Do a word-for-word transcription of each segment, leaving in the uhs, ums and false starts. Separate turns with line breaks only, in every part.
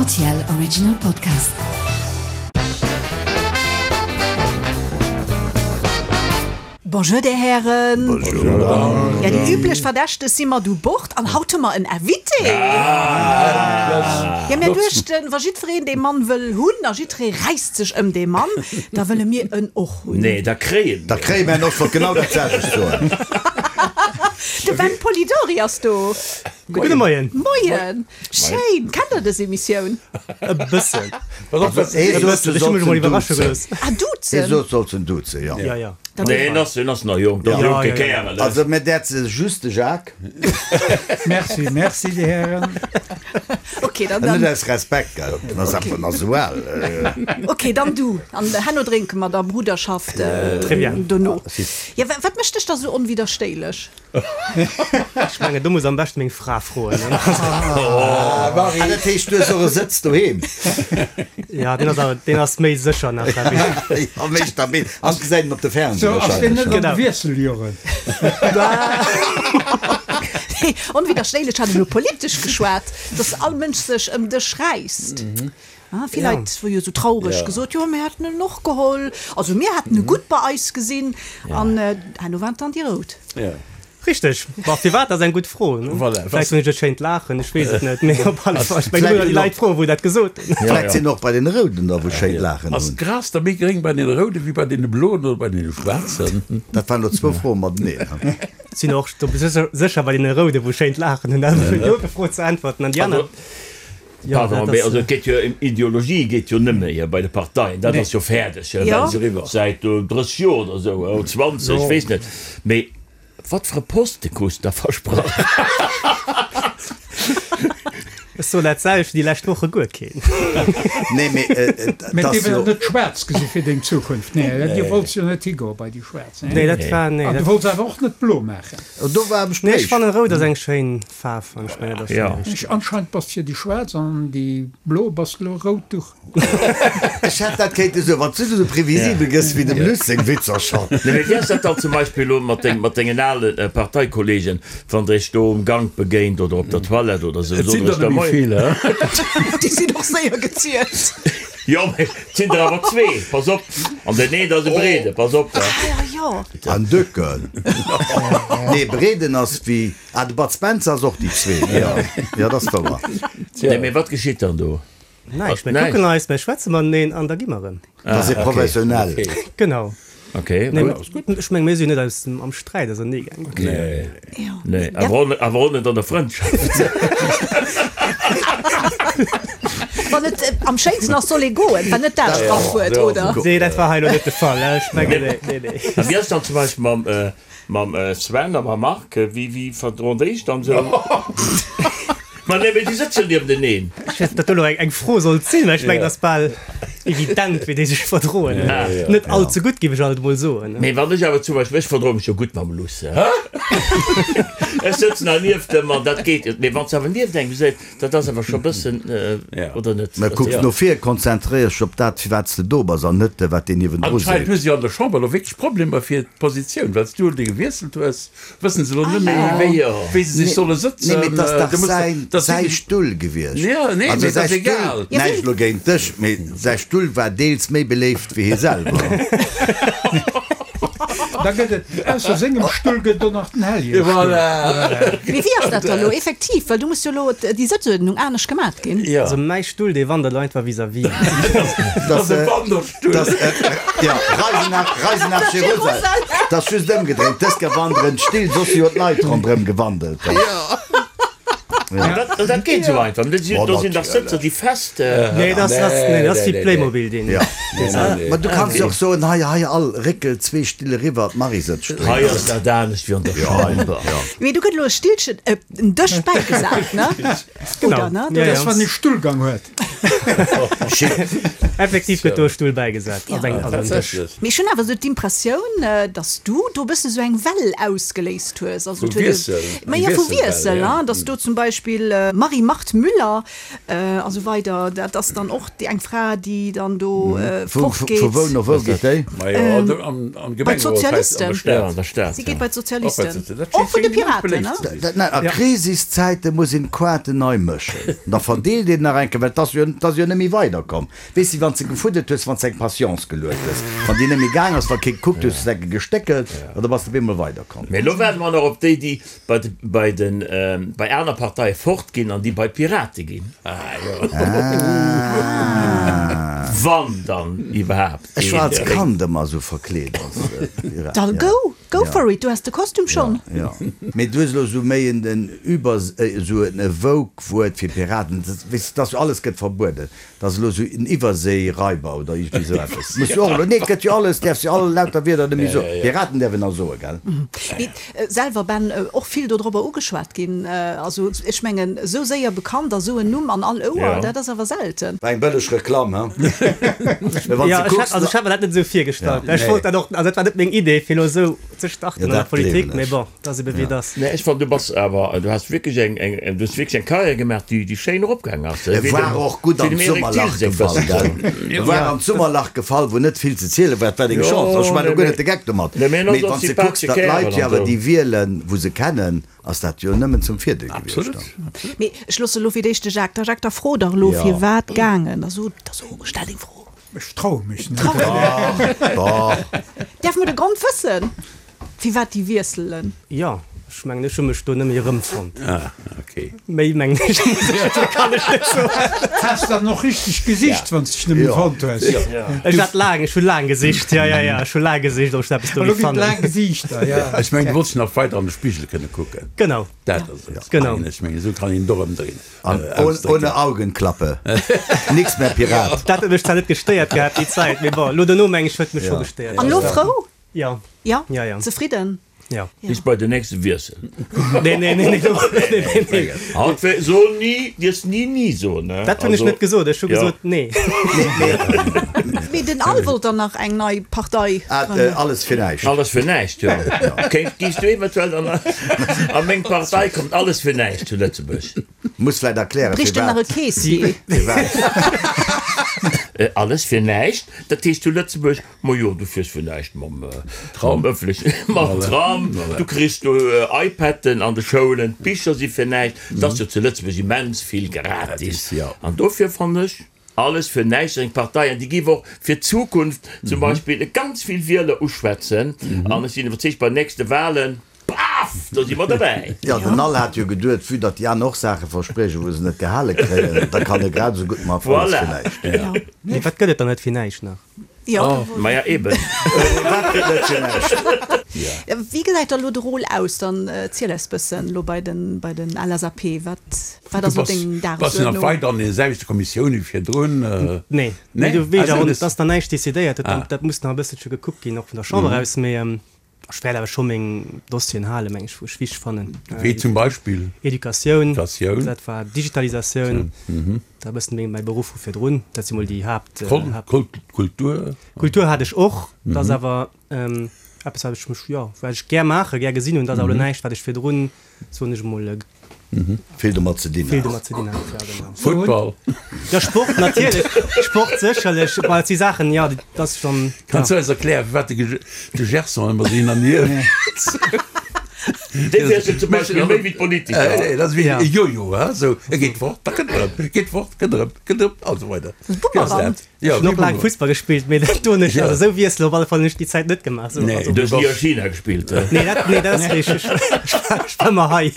R T L Original Podcast.
Bonjour, Dir Hären.
Bonjour, Madame.
Ja, déi üblech Verdächteg si mat u Bord an haut hu mer en Invité. Ja, mir duechten, wa jiddwereen dee Mann wëll hunn a jiddweree räisst sech ëm dee Mann, da wëlle mir en och hunn.
Nee, da kréie
Da
mir.
Kréie mir en och, wollt genau dat selwecht soen.
De Ben Polidori ass do.
Gudde Moien.
Moien. Schéin. Kennt der dës Emissioun?
E bëssen.
Hee
E
sot,
bëssen.
du
Ech hu mech
solls
emol
en
iwwerrasche
duzen.
gelooss.
Ah,
Hee
duzen?
sot, solls en duzen, jo.
Ja, ja.
Nee, en ass, en ass nach jonk, dat ass
Ja,
jonke
ja, ja.
Kärel, hè.
Also, mir däerze just de Jacques.
Merci, merci, Dir Hären.
Okay, dann,
Net
dann,
aus Respekt, gell. En ass einfach nach esou al.
okay, dann du. An herno drénke mer da Bruderschaft äh,
Très bien.
dono.
Si.
Ja, wa- wat mécht dech da sou onwiderstéilech?
Ech mengen, do muss am beschten meng Fra froen.
Ah, dat heescht, du hues och e Sëtz doheem?
Ja, deen ass awer, deen ass méi sécher nach, glaub ech.
Ja, méi stabil. An gesäit en op de Fernseh
So, ass deen
wahrscheinlech.
net an de
Genau.
Wiesseljoren?
Onwiderstéilech hat elo politesch geschwat, dass all Mënsch sech ëm dech räisst. Ah, vill Leit hu jo sou traureg gesot, jo mir hätten en och geholl, also mir hätten e gutt bei eis gesinn an herno waren et dann déi Rout.
Richteg. Bon, firwat ass eng gutt Fro, ne?
Voilà.
Vläicht hunn ech e schéint Laachen, ech weess et net, mee op alle Fall, ech mengen,
Vläicht
do déi
hunn
Leit froen, wou dat gesot hunn.
Vläicht sinn och bei den Rouden der, wou schéin Laachen
Ass
hunn.
d'Gras da méi gréng bei den Roude wéi bei den Bloen oder bei den Schwaarzen?
Dat waren elo zwou Froe mateneen.
Sinn och do sécher sécher bei den Roude, wou schéint Laachen hunn, dat ass elo déi Fro ze äntwerten. An déi aner, jo,
Pardon,
dat
mee
ass,
also et geet jo ëm Ideologie geet jo net méi bei de Parteien, dat ass jo fäerdeg,
Jo.
well säit drësseg Joer oder esou, oder zwanzeg, ech weess net. Mee wat fir e Poste krus de da versprach?
Ech soen dat selwecht wéi déi lescht Woche, guer keen.
Nee, mee et
Mee
ass
dir
jo.
wëllt net schwaarz gesi fir deng Zukunft, nee? Dir wollts jo net higoe bei déi Schwaarz, nee?
Nee, dat war, nee,
An du
dat,
wollts awer och net blo maachen.
Do war am
nee, ech
Gespréich.
fannen rout ass eng schéin Faarf an ech mengen, dat ass
Ja.
déi richteg.
Ech, anscheinend bass fir déi Schwaarz an déi blo bass elo rout Duch.
Ech hätt dat kéinte soen, wann s du esou previsibel gëss wéi dem Luss seng Witzer schonn.
Nee, mee wéi ass dat dann zum Beispill elo mat deng, mat dengen ale Parteikollegen, wann der iech do um Gank begéint oder op der Toilette oder esou,
Et
sot
sinn
der
der
iech da
net méi
Moien?
vill, he?
Déi sinn och séier gezielt.
Jo, mee et sinn der awer zwee, pass op. An deen een ass e Breede, pass op.
Ah ja, jo.
An Döcken. Nee, Breeden ass wéi, ah, de Bud Spencer ass och déi zwee. Jo, jo, dat ass wouer.
Nee, mee wat geschitt dann do?
Näischt, mir
Näischt.
kucken eis, mir schwätze mateneen an da gi mer erëm.
Dat ass professionell.
Genau.
Okay,
Nee,
gutt.
ech meng, mir sinn net aus dem, am Sträit ausernee gaangen.
Nee,
Jo.
nee, awer och net, awer och net an der Frëndschaft.
Wann et am schéinsten ass, soll ee goen, war net dat Sprachwuert, oder?
Nee, dat war hei elo net de Fall, ech mengen, nee, nee, nee.
A wéi ass dann zum Beispill mam, mam Sven a mam Marc? Wéi, wéi verdroen déi sech dann esou? Ma nee, mee déi sëtzen niewenteneen.
Ech weess net, ob dat do elo eng Fro sollt sinn, mä ech mengen, dat ass bal evident, wéi déi sech verdroen. Net all ze gutt, géif ech alt emol soen.
Mee wann ech awer zum Beispill, ech verdroe mech jo gutt mam Luss, hä? Ech sëtzen hei nieft em an dat geet. Mee wann s de awer nieft engem sëtz, dat ass awer scho e bëssen, oder net?
Mä kucks no vir, konzentréier dech op dat, firwat s de do bass an net, wat deen niewendru
Anscheinend
seet.
hu si an der Chamber elo wierklech Problemer fir d'Positioun, well s du déi gewiesselt hues, wëssen se elo net méi, wéi, wéi se sech solle sëtzen.
Nee, mee 't ass dach
Du muss
säin,
dat
säi
sinn-
Stull gewiescht.
Ja, nee,
Also
mee dat
säi
ass egal.
Stull, näischt elo géint dech, mee säi Stull war deels méi beléift wéi hie selwer.
Da gëtt et, ausser sengem Stull gëtt et och nach den Hellier-Stull.
Voilà.
Mee wéi ass dat da elo effektiv? Well du muss jo elo déi Sëtzuerdnung anescht gemat ginn.
Ja.
Also mäi Stull, dee wandert elo einfach vis-à-vis.
Dat
ass e Wanderstull.
Das, äh, ja, Reise nach, Reise nach Jerusalem. Dat ass just ëmgedréint. Dës Kéier wanderen d'Still, soss hu jo d'Leit ronderëm gewandelt.
An dat, an dat geet esou einfach. Do sinn, do sinn dach Sëtzer, déi fest.
Nee, dat ass, nee, dat ass wéi Playmobil, deen.
Ja. Ma du kanns jo och soen, hei, hei, all réckel zwee Still eriwwer, d'Marie sëtzt
Hei
drënner.
ass dat anescht wéi an der Chamber.
Mee do gëtt elo e Stillchen, äh, en Dësch bäigesat, ne?
Genau.
Oder, ne?
Ja,
Dat ass,
ja.
wann ee Stullgang huet.
Effektiv gëtt do e Stull bäigesat op eng, also en Dësch.
Mee ech hunn awer esou d'Impressioun, dass du do e bësse sou eng Well ausgeléist hues. Also
Vu
et huet e,
Wiessel,
ma
eng
jo, vu
Wiesselwell,
Wiessel,
ja.
hein, dass do zum Beispill Marie-Marthe Müller a sou weider, dat ass dann och déi eng Fra, déi dann do
Vu, vu
fortgeet.
wou no wou geet déi?
Ma jo, an am, am
Bei
Gemengerot hei an
d'Sozialisten.
der Stad.
Ja, an der Stad,
Si
Och
geet bei
bei
d'Sozialisten.
d'Sozialisten. Dat
Och
schéngt
vun de
schéngt immens
Piraten,
beléift
ne?
ze sinn.
Dat, nein, a Krisiszäite muss een d'Quaarten nei mëschen. Da verdeelt een nach eng Kéier, well 't ass jo, 't ass jo net méi weiderkomm. Weess de, wann s de gefuddelt hues, wann s de eng Patience geluet hues, wann déi net méi gaang ass, wa kee gekuckt hues, hues de eng Kéier gestéckelt an da bass de op eemol weiderkomm.
Mee elo waarde mer nach op déi, déi bei de, bei den, bei aner Parteie fortginn an déi bei d'Pirate ginn.
Ah, jo.
Wann dann iwwerhaapt
Ech war als
een.
Kand ëmmer esou verkleet als Pirat.
Dann
Ja.
go, go
Ja.
for it, du has de Kostüm schonn.
Ja. Mee du hues elo esou méi en den Über, esou en Vogue-Wuert fir Piraten. Dat, weess de, dass jo alles gëtt verbueden. Dat ass elo esou en Iwwerséiraiber oder iergendwéi esou eppes. Muss jo och elo, nee, et gëtt jo alles, däerfs jo all lauter Wierder net méi soen. Piraten däerf een nach soen, gell?
Mee selwer, Ben, och vill dodrobber ugeschwat ginn. Also ech mengen, esou séier bekannt a sou en Numm an all Ouer,
Ja.
dat ass awer selten.
War eng bëlleg Reklamm, he? Mee wann s
Ja,
de
ech hat,
kucks,
also ech hat mir dat net esou virgestallt.
Ja.
Ech wollt dat och, also dat war net meng Idee, fir elo esou ze starten
Ja,
an der
dat
Politik,
gleewen
mee
ech.
bon, dat ass ebe wéi et ass.
Nee, ech fannen, du bass awer, du has wierklech eng, eng, du hues wierklech eng Karriär gemaach, déi, déi schéin eropgaang ass.
E war och gutt an d'Summerlach gefall, gell? E war an d'Summerlach gefall, wou net vill ze ziele war. Et war deng
Jo,
Chance. Also ech maachen
nee,
elo guer
mee,
net de Geck domat.
nee, mee en
Mee
ass och
wann s de kucks,
sympathesche
datt
Kärel
d'Leit jo
an
awer
esou.
déi wielen, wou se kennen, ass dat jo nëmmen zum Virdeel gewiescht
Absolut.
dann.
Mee ech loosse elo fir d'éischt de Jacques. Da Jacques, da fro dach elo,
Ja.
firwat gaangen? Da so, da so, stell deng Fro.
Ech traue mech net.
Dach.
Däerfe mer de Grond wëssen, firwat déi wiesselen?
Jo, ech mengen, ech hu mech do net méi erëmfonnt.
Ah, okay.
Méi mengen ech, muss ech, kann ech net soen.
Has dann och richteg gesicht, wann s de dech net méi
Jo.
fonnt hues.
Ech hat laang, ech hu laang gesicht, jo, jo, jo, ech hu laang gesicht, ob ech eppes do
Elo
géif
ginn et
fannen.
laang Gesichter, ja.
Ech mengen, du wollts nach weider an de Spigel kënne kucken.
Genau.
Dat ass et.
Genau.
Mengen ech mengen, esou kann een et och ëmdréinen.
An ohne Augenklappe. Nix mehr Pirat.
Dat huet mech zwar net gestéiert gehat déi Zäit, mee bon, elo dono meng ech huet mech scho gestéiert.
An elo frou?
Ja.
Ja?
Ja, ja.
Zefridden?
Ja.
Bis bei den nächste Wiessel.
Nee, nee, nee, nee, nee, nee, nee.
Haut wär, so ni, dierfs ni ni soen, ne?
Dat hunn ech
Also,
net gesot, ech hu
ja.
gesot nee.
Mee den Al wollt dann nach eng nei Partei
Ah,
grënnen.
alles fir näischt.
Alles fir näischt, jo. Kéint, giffs du eventuell an, a meng Partei kommt alles fir näischt zu Lëtzebuerg.
Muss vläit erklären,
Brécht en nach e
firwat.
Keessier?
Firwat.
Alles fir näischt, dat heescht zu Lëtzebuerg, ma jo, du fiers fir näischt mam mam ëffentlechen, mam Tram, du kriss do iPaden an de Schoulen, d'Bicher si fir näischt, et ass jo zu Lëtzebuerg immens vill gratis. An dofir fannen ech, alles fir näischt ass eng Partei an déi géif och fir d'Zukunft zum Beispill ganz vill Wieler uschwätzen an ech sinn iwwerzeegt, bei den nächste Wahlen, Paf! Do si mer derbäi.
Jo, den Al hat jo geduet, vue datt déi aner och Saache verspriechen, wou se net gehale kréien, da kann e grad esou gutt mat alles fir
Voilà.
näischt.
Mee wat gëtt et dann net fir näischt nach?
Jo.
Maja, eben.
Wat gëtt net fir näischt?
Wéi gesäit da lo de Rôle aus? Dann ziel eis bëssen lo bei den, bei den L S A P. Wat, wat ass
Du
lo deng
bass, bass du nach
Dagesuerdnung?
weider an den selwechte Kommissioune wéi virdrun?
Nee.
Nee?
Nee, do weess ech
Also
awer net,
das-
et ass nach näischt decidéiert. Dat,
Ah.
dat muss nach e bësselche gekuckt ginn, och vun der Chamber aus. Mee ech wäert awer scho meng Dossieren halen, meng ech, wou ech wichteg fannen.
Wéi zum Beispill?
Educatioun,
Educatioun.
dat war Digitalisatioun, da e bëssen meng, mäi Beruff vu virdrun. Dat si mol déi Haapt,
Kol,
Haapt.
Kol, Kultur.
Kultur hat ech och, dat ass awer eppes, wat ech mech, jo, wat ech gär maachen, gär gesinn hunn. Dat ass awer elo näischt, wat ech virdrun, soen ech emol,
Vill domat ze dinn
Vill
hat.
domat ze dinn hat, ja, genau.
Football.
Ja, Sport natierlech. Sport sécherlech. Bon, dat si Saachen, ja, déi, dat ass schonn,
Kanns
ja.
du eis erklären, firwat de, de Gerson ëmmer esou hin an hier
Dee wiesselt zum Beispill méi wéi d'Politiker.
Nee, dat ass wéi
Ja.
e Jojo, he, sou, e geet fort, da kënnt erëm, geet fort, kënnt erëm, kënnt erëm, a sou weider.
Das ist Bumerang.
Ja,
Ech hunn och laang Fussball gespillt, mee dat doen ech,
Ja.
also esou wiesselen op alle Fall hunn ech déi Zäit net gemaach. Sou,
Nee.
also.
Du hues ni a China gespillt, he?
Nee, dat, nee, dat ass richteg. Ech war, ech war ëmmer hei.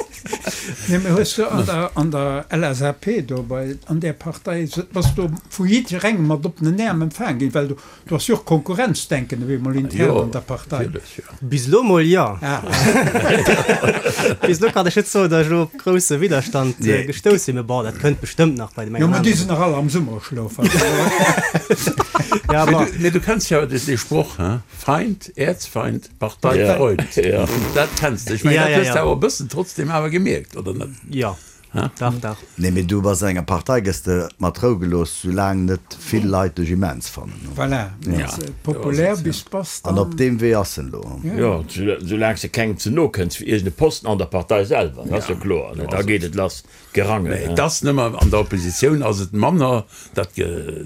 Nee, mee hues du an der, an der L S A P do bei, an där Partei, bass du vu jidderengem mat oppenen Äerm empfaang ginn? Well du, du has jo och Konkurrenzdenken op eemol intern
Jo,
an der Partei.
natierlech, jo.
Bis elo mol, jo.
Ah.
Bis elo kann ech net soen, datt ech elo op grousse Widderstand
Nee.
gestouss sinn, mee bon, dat kënnt bestëmmt nach bei dem
Jo,
engen
mä déi
aneren.
sinn nach all am Summerschlof. Also.
Ja,
Mee
bon.
du, mee du kenns jo de, de Sproch, he? Feind, Erzfeind, Partei,
Ja.
Freund.
Ja.
Dat kenns de. Ech mengen,
Ja,
dat
ja,
hues de
ja.
awer e bëssen trotzdem awer gemierkt, oder net?
Ja. Dach, dach.
Nee, mee du bass an enger Partei, gëss de mat Rou gelooss, soulaang net vill Leit dech immens fannen.
Voilà, wann s de populär bis bass,
An
dann.
op deem Wee ass en elo.
Jo, soulaang s de kengem ze no kënns fir iergend e Posten an der Partei selwer, dat ass jo kloer, ne, da geet et lass, d'Gerangel.
Mee et ass nëmmer an der Oppositioun ass et manner dat,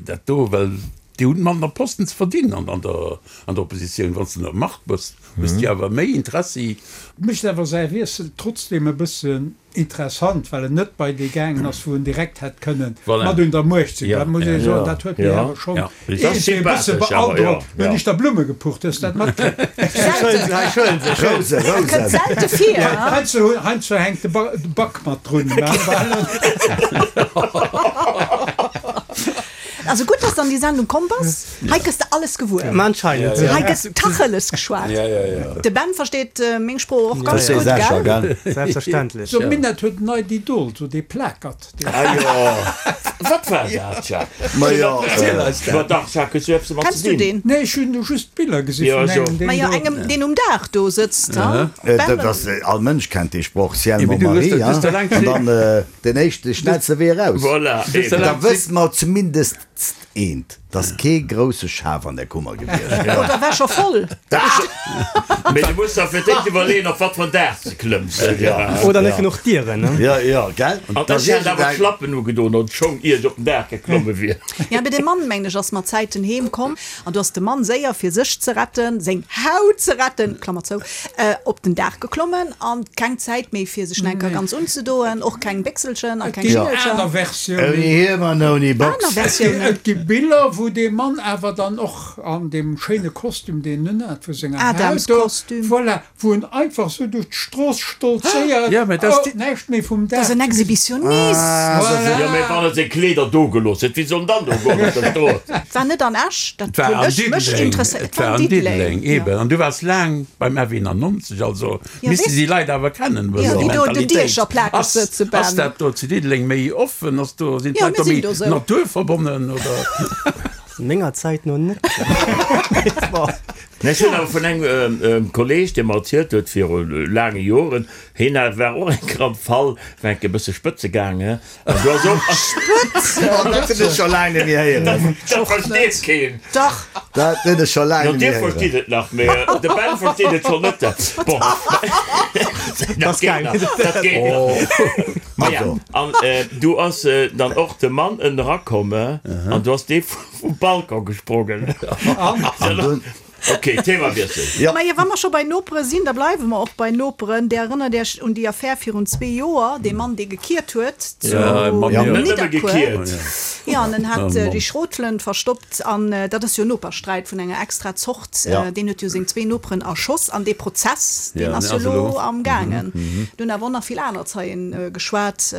dat do, well déi hunn manner Posten ze verdienen an, an der, an der Oppositioun. Wann s de an der Macht bass, hues de awer méi Interessi.
Mécht awer säi Wiessel trotzdem e bëssen interessant, well en net bei dee gaangen ass, wou en direkt hätt kënnen
Voilà.
mat un der Muecht sinn.
Ja,
Dat muss ee
ja.
soen, dat huet mech
Ja.
awer schonn
Ja.
Dat ass
iergendwéi e bësse
sympathesch awer,
beandrockt.
ja.
Hunn ech der Blumme gepucht, hues dat matkritt?
Rouse,
Kënnt
Rousen.
selte vir,
Ja,
hein?
heiansdo, heiansdo hänkt de Ba de Bak mat drun. Mä
Also gutt, dass du an déi Sendung komm bass. Hei gëss de alles gewuer.
Ma anscheinend.
Hei gëtt Tacheles geschwat. De Ben versteet meng Sprooch och ganz
Verstees
gutt,
Escher,
gell?
gell?
Selbstverständlech.
So, Minett huet en neit Idol, so dee Plakert. Dee
Ah jo, wat war dat, Jacques?
Ma jo,
Erziel eis
Ma
dat.
dach, Jacques, hues du eppes domat
Kenns
ze
du
dinn?
deen?
Nee, ech hunn just Biller gesi
Ja,
vun
jo.
engem, deen
Ma jo,
do.
engem, deen um Daach do sëtzt, ha?
Äh,
Ben,
dat ass, all Mënsch kennt dee Sproch, Ciel
Ja,
mon
mee du hues
mari,
dat- du hues
ja?
dat laang
An dann äh, den éischte schnellste Wee eraus.
Voilà, eben.
Da wësse mer zumindest eent, dass kee grousse Schaf an der Kummer gewiescht.
Oder war scho voll?
Mee du muss der fir d'éischt iwwerleeën, op wat fir en Daach s de klëmms.
Oder net genuch Dieren, ne?
Ja, ja, gell?
An ech hätt awer d'Schlappen ugedoen an d'Schong, ier ech op den Daach geklomme wier.
Ja, mee de Mann, mengen ech, ass mat Zäiten heem komm an du ass de Mann séier, fir sech ze retten, seng Haut ze retten, Klammer zou, op den Daach geklommen an keng Zäit méi fir sech enker ganz unzedoen, och keng Béchselchen a keng
Et ginn
Schingelcher.
aner Versiounen.
Ouni Hiem an ouni Box.
Aner Versiounen.
Et gi Biller, wou dee Mann awer dann och an deem schéine Kostüm, deen en unhat, vu senger Haut do,
Adamskostüm.
voilà, wou en einfach sou duerch d'Strooss stolzéiert,
Ja, mä dat ass
oh,
di-
näischt méi vum
Dat ass
Daach
en
ze gesinn.
Exhibitionist.
Voilà.
Jo, mä wann e seng Kleeder do gelooss huet, wéi soll en dann do goen op der Strooss?
Et war net an Esch, dat
Et war
hunn
an
ech mech
Diddeleng.
interesséiert.
Et war an Diddeleng, eben. An du waars laang beim F eenannonzeg, also
Ja,
misste
weess-
si Leit awer kennen,
Ja,
wëssen
déi
déi
do den
Mentalitéit.
Diecher plakeg
Ass,
sëtze, Ben.
ass dat do zu Diddeleng méi offen? Ass do, sinn
Ja,
d'Leit
mir
do
sinn
méi
do sou.
naturverbonnen, oder?
Menger Zäit no net.
Ech hunn awer vun engem Kolleeg, dee mer erzielt huet viru laange Joren, hien war och eng Kéier am Fall, war enke bësse spëtze gaangen an du ass och.
Spëtzen?
Oh, dat hunn ech scho laang net méi héieren.
Dat versteet keen.
Dach.
Dat hunn ech scho laang
Jo,
net méi
dir
héieren.
verstitt et nach, mee de Ben versteet et schonn net. Bon, dat geet nach, dat geet nach. Maja, an du ass dann och de Mann ënnerakomme an du ass dee vum Balcon gesprongen.
An dunn.
Ok, Themawiessel.
Ja.
Majo, wa mer scho bei Nopere sinn, da bleiwe mer och bei Noperen. Dir erënnert Iech un déi Affär virun zwee Joer, dee Mann, dee gekiert huet zu
Ja, Mann, ja.
Net nëmme
Nidderkuer.
gekiert.
Jo, an en hat
Oh, Mann.
déi Schrotflënt verstoppt. An dat ass jo en Nopersträit vun enger extra Zort.
Ja.
Deen huet jo seng zwee Noperen erschoss. An dee Prozess, deen
Ja,
ass
deen
jo
ass
elo
elo.
am gaangen. Do hunn awer och nach vill aner Zeien geschwat,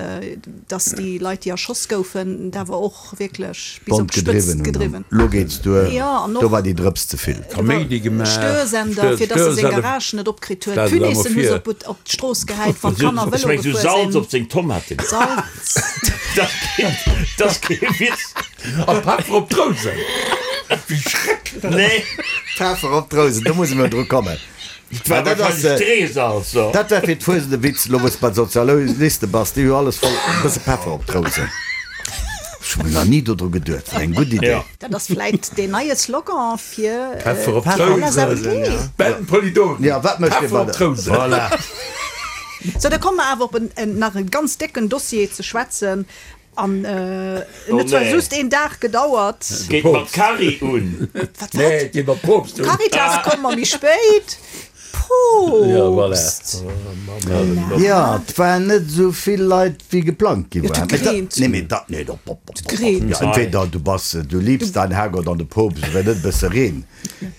dass déi Leit, déi erschoss goufen, et awer och wierklech bis op
Bond
d'Spëtzt
gedriwwen hunn.
gedriwwen.
Lo geets duer.
Ja, an
Do
och
war déi Drëps ze vill.
Kaméidi gemaach,
Störsender, fir dass e seng
Störsender.
Garage net opkritt huet.
Stell se da mol
Punaisen hu se
vir.
op op d'Strooss gehäit, wann d'Kanner
Ech
Vëlo
meng, sou
gefuer
Salz
sinn.
op seng Tomate.
Salz.
Dat geet, dat ass kee Witz.
A Peffer op d'Rousen. Wéi schrecklech.
Nee,
Peffer op d'Rousen, do musse mer dru kommen.
et war
Dat ass,
wahrscheinlech Streesalz. So.
Dat war fir d'Fuesent e Witz, lo wou s de bei Sozialiste bass, déi hu alles voll, e bësse Peffer op d'Rousen. Ech hu nach ni dodru geduet, wat eng gutt Idee.
Ja.
Dat ass vläit deen neie Slogan fir
Peffer op
d'L S A P.
d'Rousen. Ben Polidori.
Ja, wat mécht dir
Peffer
bei
op
der
d'Rousen.
Voilà.
Sou, da komme mer awer op en, en, nach e ganz décken Dossier ze schwätzen. An en
Oh
huet zwar
nee.
just een Dag gedauert.
Geet mat Cari un.
Wat,
Nee,
wat?
et geet mat Poopst un.
Caritas komme mer méi spéit.
Ja, voilà.
Poopst.
Ja, et waren net esou vill Leit wéi geplangt gi
Ja,
waren.
et gereent.
Nee, mee dat, nee, dat, pop, pop, pop.
gereent.
Ja, entweder du bass, du liebst dein Herrgott an de Poopst, oder net e bësse Reen.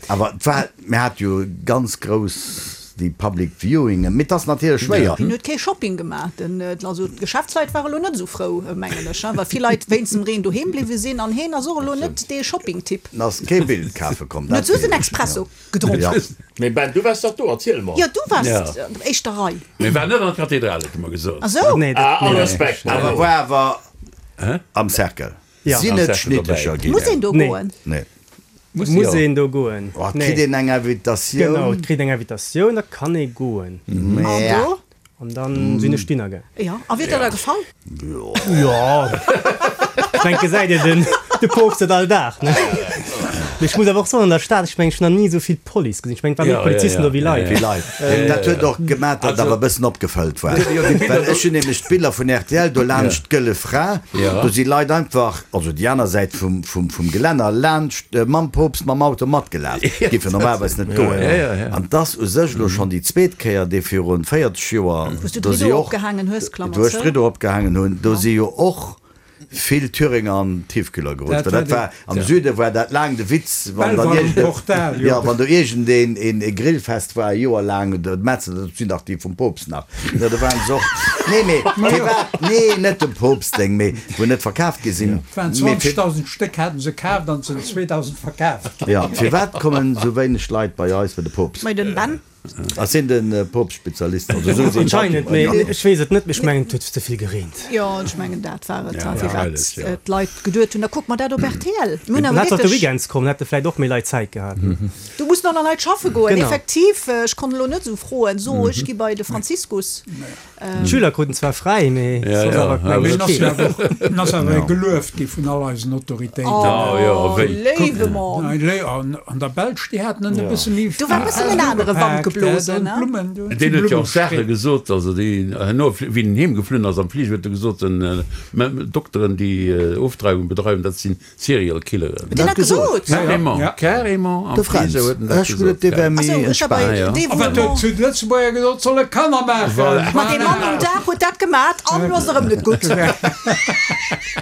Awer et war, mir hat jo ganz grouss déi Public Viewingen, mee et ass natierlech schwéier.
Hien huet kee Shopping gemaach. Den, also d'Geschäftsleit ware lo net esou frou, mengen ech, well vill Leit wéinst dem Reen doheem bliwwe sinn an hien ass och elo net dee Shopping-Typ.
En ass kee Bild kafe komm,
En huet
dat
just en
weess ech,
Expresso
ja.
gedronk.
Ja.
Mee Ben, du waars dach do, erziel mol.
Jo, du waars
Ja.
an der éischter Rei.
Mee war net an der Kathedrale, huet e mer gesot.
Ah sou?
Nee, dat,
Ah, all
nee.
Respekt.
Awer war awer am Cercle.
Ja.
Sinn
Am
et
Cercle
Schnittecher
dobäi.
ginn?
Muss een do
Nee.
goen?
Nee.
Muss
Muss
jo.
een do goen?
Oh,
Nee.
kritt een eng Invitatioun?
Genau, et kritt eng Invitatioun, da kann ee goen.
An
Ja.
do?
An dann sinn ech dinner gaang.
Jo, a wier der da gefall?
Jo. Ech mengen, gesäit een den de Poopst net all Dag, ne? Mee ech muss awer och soen, an der Stad, ech mengen, ech hunn nach ni esou vill Police gesinn. Ech mengen, et war méi Polizisten do wéi Leit.
Wéi Leit. Dat huet och gemaach, datt et awer e bëssen opgefëllt war. Well ech hunn nämlech d'Biller vun rtl do laanscht d'Gëlle Fra, do si Leit einfach, also déi aner Säit vum vum Gelänner, laanscht mam Poopst mam Auto matgelaf. Géif jo normalerweis net goen. An 't ass u sech elo schonn déi zweet Kéier, dee virun véierzeg Joer,
Wou s du
do si
d'Riddo
och,
opgehaangen hues, Klammer
wou ech
zou.
d'Riddo opgehaangen hunn, do si jo och vill Thüringer an Tiefkühler gerutscht. Well dat war, am Süde war dat laang de Witz, wann dann iergend, jo, wann do iergendeen een e Grillfest war, e Joer laang, de Metzel, dat sinn dach déi vum Poopst nach, jo, do waren se och, nee, mee firwat, nee, net dem Poopst seng, mee wou net verkaaft gi sinn,
Et waren
mee fir.
zwanzegdausend Stéck haten se kaaft an se zweedausend verkaaft.
Jo, firwat kommen esou wéineg Leit bei eis bei de Poopst?
Bei den Ben.
Ass hien de Poopst-Spezialist? Also esou seet
Anscheinend, mee ech weess et net. Mee ech mengen, et huet ze vill gereent.
Jo, ech mengen, dat war et, firwat d'Leit geduet hunn, da kucke mer dat op rtl. Mir hunn
Dann
awer
hätt se op de
wierklech.
Weekends kommen, hätte vläicht och méi Leit Zäit gehat.
Do mussen och nach Leit schaffe goen,
Genau.
effektiv. Ech konnt elo net esou froen, so ech gi bei de Franziskus.
D'Schüler kruten zwar fräi, mee soss awer
Mee
mengen
en
ech
ass jo
keen.
awer och, en ass awer gelueft gi vun all eisen Autoritéiten.
Oh, léiwe Mann.
An an der Belsch, déi haten en e bësse méi
Do war e bëssen en anere Wand geblosen, ne?
Deen huet jo och Saache gesot, also déi herno, wéi en heem geflunn ass am Fliger, huet e gesot, den Dokteren, déi Ofdreiwung bedreiwen, dat sinn Serial Killeren.
Huet deen dat gesot?
Carrément, carrément am
De Fränz,
Fliger huet en dat
ech
gesot.
gesot, dee wär
Ach
méi
sou, ech war bei
entspaant.
dee
A wat huet zu de Lëtzebuerger gesot? Solle Kanner maachen.
Voilà.
Ma dee Mann um Daach huet dat gemat an elo ass et erëm net gutt.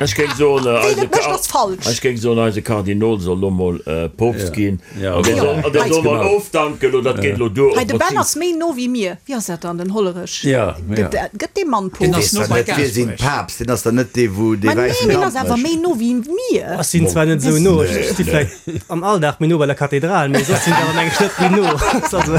Ech géing soen,
Ween
eise
et mécht, ass falsch.
Ech géing soen, eise Kardinol soll lo mol Poopst ginn.
Ja,
An dee soll, an dee soll mol
Genau.
ofdanken, lo dat geet lo duer.
Hei, de Ben ass méi no wéi mir. Wéi ass dat dann, den Hollerech?
Ja, ja.
Gëtt, gëtt dee Mann
Deen
Poopst?
ass no
Weess
bei
der net, wie sinn
Gaasperech.
Papst? Deen ass der net dee, wou dee
Ma nee,
wäissen
mee en
Damp
ass awer
mécht.
méi no wéi mir.
Ech sinn zwar net esou no, ech sti vläicht am Alldag méi no bei der Kathedral, mee soss sinn ech awer mengen ech net méi no. Also,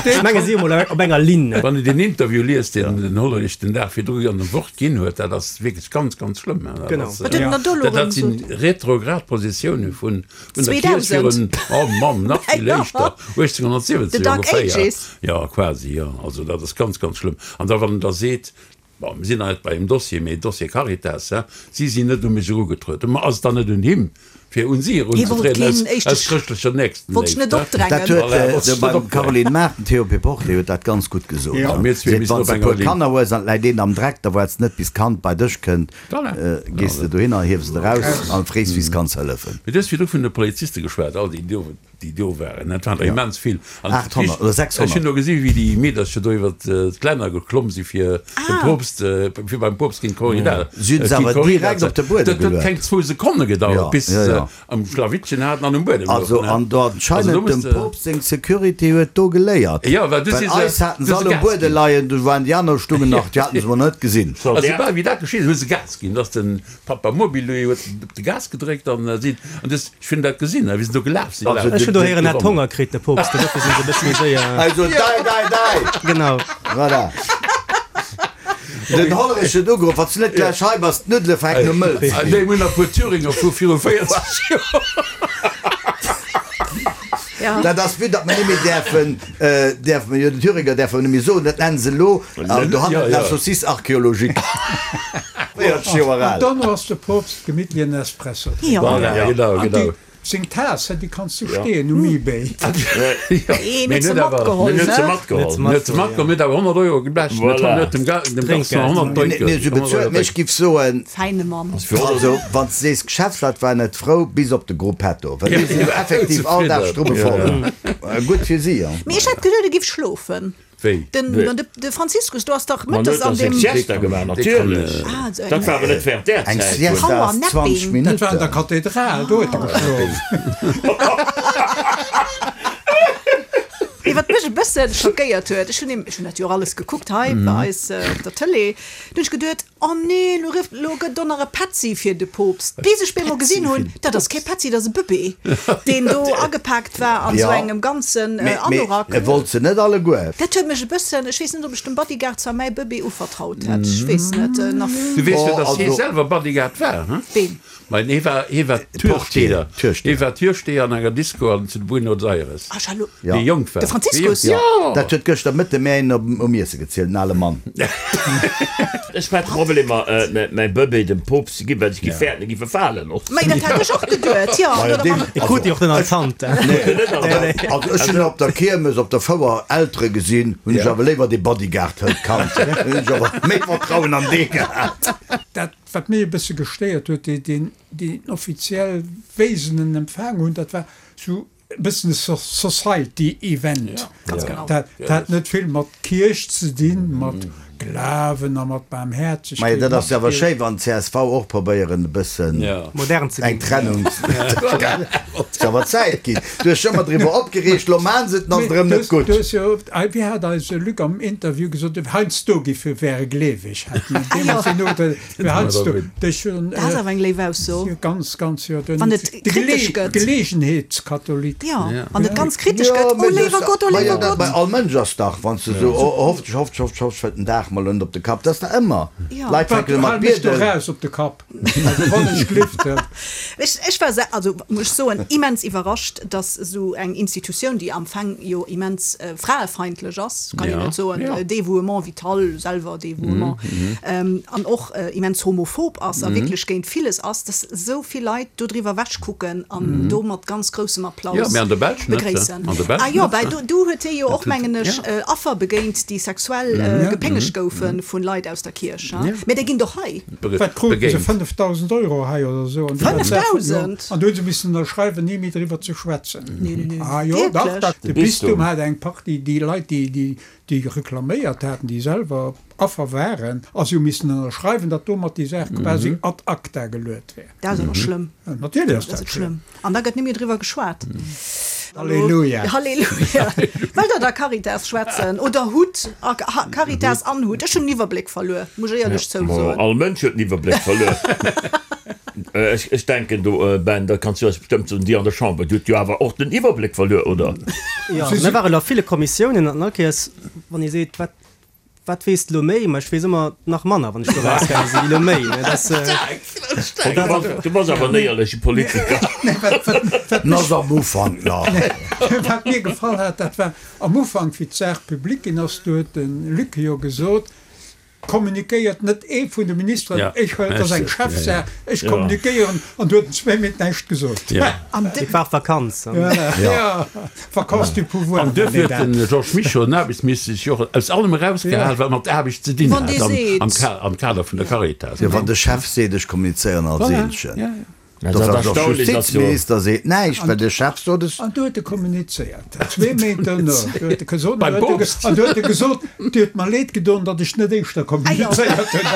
ech menge si emol op enger Linn.
Wann een deen Interview liest, deen den Hollerich den Dag virdru an dem Wort ginn huet, dat ass wierklech ganz, ganz schlëmm. Dat
Genau.
ass,
Wat huet en dann do elo
dat, dat
erëm
sinn
gesot?
retrograd Positioune vun, vun der Kierch
zweedausend?
virun, oh Mann, nach vill
Ja.
éischter,
The
uechtzénhunnertsiwwenzeg
Dark
ongeféier.
Ages.
Ja, quasi, ja. Also dat ass ganz, ganz schlëmm. An da wann en da seet, bon, mir sinn nach net bei engem Dossier, mee Dossier Caritas, hein, si sinn net u mech erugetrueden. Ma ass et dann net un him, fir un si
Hie wollt
erunzetrieden,
keen
aus,
éischte
aus chrëschtlecher
Wollt sech net
Nächstenléift, hein?
Dat
opdrängen.
huet
Voilà, wollt
de
sech net
beim
opdrängen.
Caroline Mart, den Théo Péporté huet dat ganz gutt gesot.
Ja.
Mir zwee
Seet,
missten
wann
op
s de e
enger
puer
Linn.
Kanner hues an et läit een am Dreck, da waarts net bis d'Kand bei dech kënnt,
Voilà.
gees de dohinner, hiefs et eraus an frees, wéi s kanns hëllefen.
Mee du hues virdru vun de Poliziste geschwat, all déi do, déi do waren, dat waren der immens vill. An
achthonnert oder sechshonnert.
Ech hunn do gesi wéi déi Meedercher do iwwer d'Glänner geklomm si fir dem Poopst, fir beim Poopst géint d'Corrida.
Si hunn se awer direkt op de Buedem
Dat huet
geluet.
keng zwou Sekonne gedauert,
Ja,
bis
ja,
se
ja.
am Schlawittchen haten an um Buedem
Also
louchen,
an do
Also do
anscheinend
muss
dem
de.
Poopst seng Security huet do geléiert.
Ja, well du
Well
si se,
eis haten
du
se
se
all um
Gas
Buedem
ginn.
leien, do waren déi aner stungen nach, déi haten se mol net gesinn.
Also soubal wéi dat geschitt ass, hu se Gas ginn. Dass den Papa Mobile huet op de Gas gedréckt an sinn, an dës, ech hunn dat gesinn, wéi se do gelaf sinn.
Also
Ech hunn do héieren, en hat Honger kritt, de Poopst, dofir sinn se e bësse méi séier.
Also dei, dei, dei!
Genau.
Voilà. Den Hollerich huet ugeruff, Wann s du net gläich hei bass, d'Nuddele fänken u mëll ze ginn.
Déi hunn nach puer Thüringer vu viru véierzeg Joer.
Ja.
Dat ass, vue datt mer net méi däerfen, däerfe mer jo, den Thüringer däerfe mer net méi soen, dat nennen se elo an dohannen
Ja,
la
ja.
saucisse archéologique. véierzeg Joer
An
al.
dann ass de Poopst gemittlich en Espresso drénken.
Ja.
Voilà, genau,
An
genau.
déi seng Taass, déi kanns du steeën um eBay.
Een
Mee
huet se
net awer.
matgeholl,
Huet se
ne?
matgeholl.
Net ze matgeholl, huet awer honnert Euro geblecht.
Voilà.
Huet dem Ga- dem Garçon
Trinkgeld.
honnert
Nee, nee, se bezuelt, mee ech giff soen,
Feine Mann.
also wann s de sees, Geschäftsleit waren net frou, bis op de Gruppetto, well déi sinn jo effektiv all Dag strubbevoll. Gutt fir si, ja.
Mee ech hat geduet, e giff schlofen.
Wéi?
Den,
Wéi?
de, de Franziskus, du hast dach
Man
mëttes
huet
an
da seng
dem.
Siesta gemaach, natierlech.
Ah, so
Dat war awer net während där
Eng
Zäit.
Siesta
Power
ass zwanzeg
napping.
Dat war an der
Minutten.
Kathedral, do huet e geschlof.
Mee wat mech e bëssen schockéiert huet, ech hunn ech hunn dat jo och alles gekuckt hei bei eis op der Tëlee, du hunn ech geduet, oh nee, lo rifft, lo gëtt do nach e Petzi fir de Poopst. Bis ech bemol gesinn hunn, dat ass kee Petzi, dat ass e Bëbee, deen do agepaakt war an
Ja.
esou engem ganzen
Mee, mee
Anorak.
e wollt se net alleguer.
Dat huet mech e bëssen, ech weess net, ob ech dem Bodyguard zwar mäi Bëbee uvertraut hätt, ech weess net, nach.
Du weess jo,
Oh,
dass hie
also.
selwer Bodyguard war, hm?
Ween?
Mä hie war, hie war Türsteher.
Türsteher.
Hie war Türsteher an enger Disco an zu Buenos Aires.
Ah, Jalo.
Ja.
Wéi jonk war.
De Franziskus? Franziskus.
Jo, dat huet gëschter Mëtte mär een op um Iesse gezielt, en ale Mann.
Ech hat Problemer mäi Bëbee dem Poopst ze ginn, well ech gi fäerten, e giff e falen och.
Mä dat hat ech och geduet, jo.
E krut déi och net an d'Hand.
Also ech hunn op der Kiermes, op der Fouer Eltere gesinn, hunn ech awer léiwer dee Bodyguard hëlt d'Kand, hunn ech awer méi Vertrauen an dee gehat.
Dat wat mech e bësse gestéiert huet, deen deen offiziell wéi se en empfaangen hunn, dat war sou e bëssen e Society Event. Dat hat net vill mat Kierch ze dinn, mat Glawen a mat Baarmhäerzegkeet.
Majo, dat ass jo awer schéi, wann csv och probéieren e bëssen
Modern ze
eng
ginn.
Trennung ze Ass awer Zäit ginn. Du hues dech ëmmer driwwer opgereegt, lo maan se et, an ass et erëm net gutt.
Du hues jo, wéi hat eise Luc am Interview gesot, heiansdo gi wäre gleeweg, hat en deemools den Urteil, heiansdo, dech hunn.
Dat ass awer eng léif Ausso.
Ganz, ganz, jo.
Wann et kritesch gëtt.
Geleegenheetskatholik.
Jo, wann et ganz kritesch gëtt, oh léiwer Gott, oh léiwer Gott.
Mä all Mënsch ass dach, wann s de esou, hoffentlich, hoffentlich, hoffentlich, hoffentlich fält den Dag mol net op de Kapp, dat ass dach ëmmer, d'Leit fänken ëmmer
Hal mech do
bieden.
raus op de Kapp, also wann ech glift.
Ech, ech war se, also muss ech soen, immens iwwerrascht, dass esou eng Institutioun, déi am Fang jo immens fraefeindlech ass, kann een net soen, Dévouement vital, selwer Dévouement, an och immens homophob ass a wierklech géint villes ass, dass esou vill Leit dodriwwer ewechkucken an do mat ganz groussem Applaus begréissen. Ah jo, well do, do huet hie jo och, mengen ech, Affer begéint, déi sexuell gepéngegt goufe vun Leit aus der Kierch. Mä déi ginn doch hei.
Wat kruten se? fënnefdausend Euro hei oder esou.
Fënnefdausend?
An do hu se missen ënnerschreiwen, ni méi driwwer ze schwätzen. Ah jo, dach, dach. De Bistum hat eng Partie, déi Leit, déi, déi reklaméiert haten, déi selwer Affer waren, a si hu missen ënnerschreiwen, datt domat déi Saach quasi ad acta geluet wär.
Dat ass awer schlëmm.
Natierlech ass dat
schlëmm. An da gëtt net méi driwwer geschwat.
Halleluja.
Halleluja. Wëllt Der da Caritas schwätzen oder hutt Caritas an hutt? Ech hunn den Iwwerbléck verluer, muss ech éierlech zousoen.
All Mënsch huet den Iwwerbléck verluer. Ech, ech denken do, Ben, dat kanns du eis bestëmmt soen, Dir an der Chamber, Dir hutt jo awer och den Iwwerbléck verluer, oder?
Jo, mir waren a ville Kommissiounen an all Kéiers, wann ee seet, wat, wat weess de elo méi? Ma ech weess ëmmer nach manner, wann ech do erausgaange sinn, wéi elo méi. Ne, dat,
Du bass, du bass awer en éierleche Politiker.
En ass am Ufank nach.
Wat mir gefall hat, dat war am Ufank, wéi d'Saach public ginn ass, do huet de Luc jo gesot, Kommunikéiert net ee vun de Ministeren, ech huelen, et ass eng Chefsaach, ech kommunikéieren, an du huet en zwee Méint näischt gesot.
Et war Vakanz.
Jo, Vacances du pouvoir.
An duerfir huet de Georges Mischo, den Aarbechtsminister, sech jo och aus allem erausgehal, wat mat Aarbecht ze dinn hat am Kader vun der Caritas.
Jo, wann de Chef seet, ech kommunizéieren als Eenzegen. Dat ass och Justizminister seet näischt, well de Chef sot es.
An du huet e kommunizéiert, zwee Méint duerno. Du huet e gesot, an du huet e gesot, Dir huet mer leed gedoen, datt ech net éischter kommunizéiert hunn.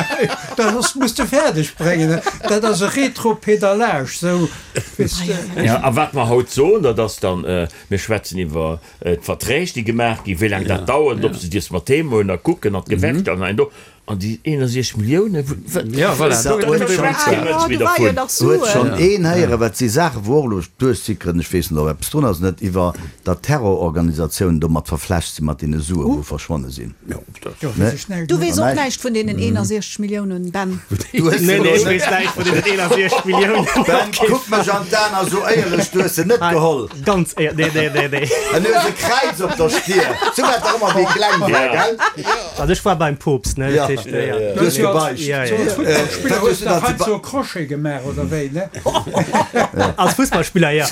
Dat ass, muss de fäerdeg bréngen. Dat ass e Retropedalage, sou, weess de.
Jo, a wat mer haut soen, dat ass dann, mir schwätzen iwwer d'Verträg, déi gemaach ginn, wéi laang dat dauert, ob se dierf mat heem huelen a kucken an d'Gewerkschaften an do. An déi eenundsechzeg Milliounen,
Ja, voilà, do huet
schonn een héieren, wat si Saachen, wou och elo duerchsickeren, ech weess net, ob eppes drun ass, net iwwer datt Terrororganisatiounen domat verflecht sinn, mat deene Suen, wou verschwonne sinn.
Du weess och näischt vun deenen eenundsechzeg Milliounen, Ben?
Nee, nee, ech weess näischt vun deenen eenundsechzeg Milliounen.
Ben, kuck mech an d'Aen a so éierlech, du hues se net geholl.
Ganz éierlech, nee, nee, nee, nee.
An du hues e Kräiz op der Stier, sou wat dach ëmmer méi kleng war, gell?
Also ech war beim Poopst, ne?
Ja. Du hues gebeicht.
Ja, ja.
Als Futtballspiller hues de hei sou e Crochet gemaach, oder wéi, ne?
Als Fussballspiller, ja.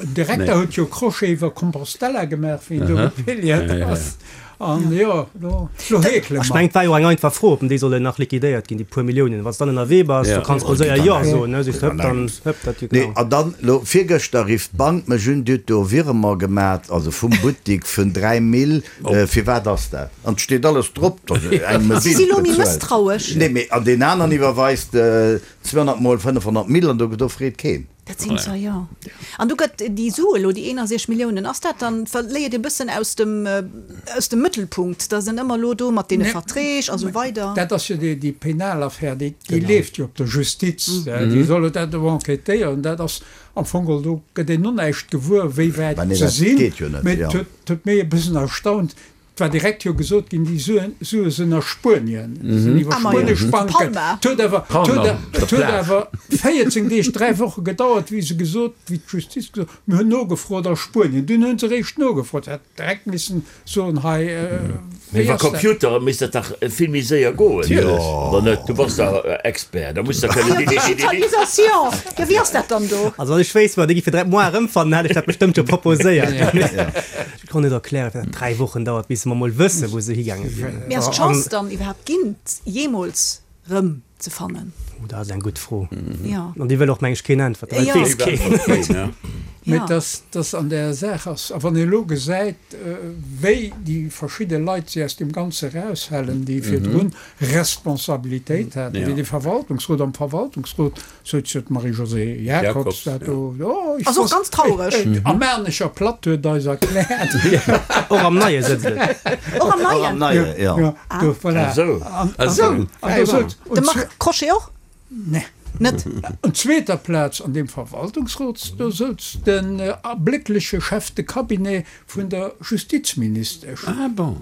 Den Direkter huet jo Crochet iwwer Compostela gemaach, wéi en do gepilgert ass. An jo, lo, lo heekele
Ech
mer.
mengen, et war jo eng einfach Fro, ob déi sollen nach liquidéiert ginn, déi puer Milliounen. Wann s dann ënnerwee bass, du kanns mol séier Jo soen, ne? Sees de, hëpp, dann hëpp dat jo
Nee,
genau.
an dann, lo virgëschter rifft d'Bank mech un, déi huet do Virement gemat, also vum Buttik vun dräi Mille. Firwat ass dat? An et steet alles drop, datt engem e
Si si
Bild
lo méi
bezuelt.
mësstrauesch.
Nee, mee an deen aneren iwwerweist zweehonnert mol fënnefhonnert Mille an do do freet keen.
Dat sinn zwar, jo. An do gëtt déi Sue lo, déi eenundsechzeg Milliounen, ass dat dann, verléiert e bëssen aus dem, aus dem Mëttelpunkt, da sinn ëmmer lo do mat deene Verträg a sou weider.
Dat ass jo déi, déi penal Affär, déi, déi leeft jo op der Justiz, déi solle dat do enquêtéieren. Dat ass am Fong geholl, do gëtt een no näischt gewuer, wéi wäit
Bah nee,
se
dat
sinn.
geet jo net,
Mee
jo.
et huet, huet méi e bëssen erstaunt, Et war direkt jo gesot ginn, déi Suen, Sue sinn a Spuenien, sinn iwwer
Ah, ma jo.
spuenesch Banken.
Palma.
Et huet awer, et
Palma,
huet,
op der
et huet
Plage.
awer véierzéng Deeg, dräi Woche gedauert, wéi se gesot, wéi d'Justiz gesot huet, mir hunn nogefrot a Spuenien. Dunn hu se eréischt nogefrot. Se hätt direkt missen soen, hei,
Mee
wéi
iwwer
ass dat?
Computere misst dat dach vill méi séier goen,
Natierlech.
oder net? Du bass dach Expert, da muss der
Ah
kënnen
jo,
di, di, di, di, di.
Digitalisation! Jo, wéi ass dat dann do?
Also wann ech wéisst, wat déi géife direkt moar erëmfannen, hätt ech dat bestëmmt jo proposéiert. Ech kann net erklären, firwat dat dräi Wochen dauert, bis mer mol wëssen, wou se higaange sinn.
Mee ass d'Chance dann iwwerhaapt ginn, jeemools rëm ze fannen?
Oh, dat ass eng gutt Fro.
Jo.
An déi wëll och, meng ech, keen äntwerten, well et
Jo.
weess keen.
Mee
Ja.
dass dass an där Saach ass, a wann ee elo gesäit, wéi déi verschidde Leit si aus deem Ganze eraushalen, déi virdrun Responsabilitéit haten, wéi de Verwaltungsrot, am Verwaltungsrot souz jo d'Marie-Josée Jacobs dat do, jo, ech
Ass och
wosst,
ganz traureg.
Am Maarnecher Platt huet eis erkläert.
Och am Neie sëtzt et.
Och am
Och am
Neien?
Neie, jo.
Jo, do, voilà.
Esou.
An, an,
Esou.
an do souz,
De Marc Crochet och?
Nee.
Net?
An zweeter Plaz an deem Verwaltungsrot, do souz den erbléckleche Chef de cabinet vun der Justizministesch.
Ah bon.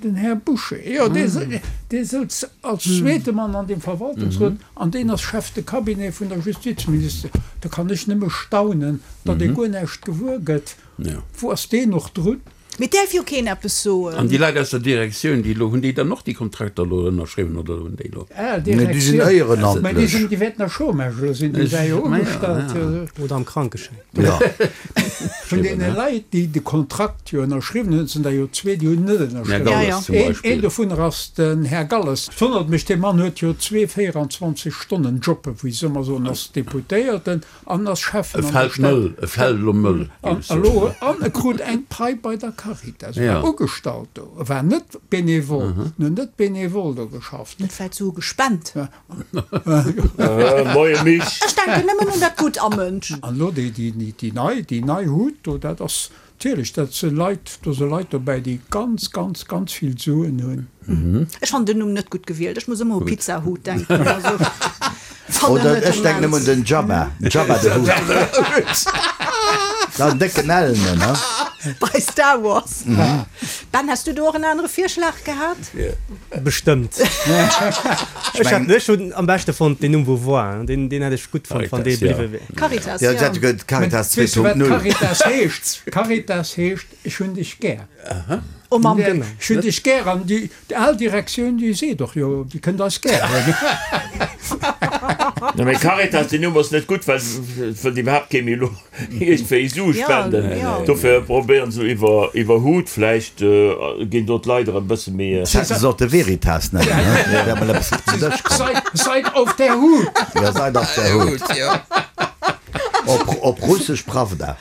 Den Här Bouché, jo, dee, dee souz als zweete Mann an deem Verwaltungsrot, an deen ass Chef de cabinet vun der Justizministesch. Da kann ech nëmme staunen, datt ee guer näischt gewuer gëtt. Wou ass deen och drun?
Mee däerf jo keen eppes soen.
An déi Leit aus der Direktioun, déi elo, hunn déi dann och déi Kontrakter elo ënnerschriwwen oder hunn déi elo?
Ah,
Nee, déi sinn
Direktioun.
éierenamtlech.
Mä déi sinn, déi wäerten a Chômage elo sinn, déi war jo ugestallt.
Oder am Krankeschäin.
Ja.
Vun deene Leit, déi de Kontrakt jo ënnerschriwwen hunn, sinn der jo zwee, déi hunn net
Här
ënnerschriwwen.
Galles
Ja, ja.
zum
Een,
Beispill.
een dovunner ass den Här Galles. Et wonnert mech, dee Mann huet jo zwee véierundzwanzeg-Stonnen-Jobben, wéi se ëmmer soen, ass Deputéierten an ass Schäffen
E
an der
fält
Stad.
mëll, e fält elo mëll,
An
géif ech soen.
elo, an e krut eng Pai bei der Caritas, war
Ja.
ugestallt do, e war net bénévol, en huet net bénévol do geschafft.
Net vläit Sue gespent?
Moie Misch.
Ech denken nëmmen un dat Gutt am Mënsch.
An elo déi, déi, déi, déi nei, déi nei Hut do, dat ass natierlech, dat si Leit, do si Leit dobäi, déi ganz, ganz, ganz vill Suen hunn.
Ech fannen den Numm net gutt gewielt. Ech muss ëmmer u Pizza Hut denken. Also, fannen
Oder
net
ech denken
immens.
nëmmen un den Jabba, Jabba de Hutt. Dat décken Ellenen, ne?
Bei Star Wars. Ben, has du do och en anere Virschlag gehat?
Bestëmmt. Ech hätt, ech hunn am beschte fonnt den Numm Beauvoir, deen, deen hätt ech gutt fonnt, wann dee
Caritas, ja.
bliwwe wär.
Caritas,
Ja,
ja.
dat gëtt Caritas
Weess du, wat
zwee Punkt null.
Caritas heescht? Caritas heescht, ech hunn dech gär.
Oh Mamm.
Genau. Ech hunn dech gär an déi, déi al Direktioun, déi seet och, jo, déi kënnt eis gär hunn.
Na, mee Caritas, den Numm ass net gutt, well et wëllt iwwerhaapt kee méi elo iergendwéi Sue
Ja,
spenden.
ja.
Dofir probéieren se iwwer, iwwer Hut, vläicht ginn do d'Leit erëm e bësse méi.
Se hätte sollte Veritas nennen, ne? Wär mol eppes op den Dësch komm.
Seid, seid auf der Hut!
Ja, seid auf der Hut.
Ja.
Op, op Russesch Pravda.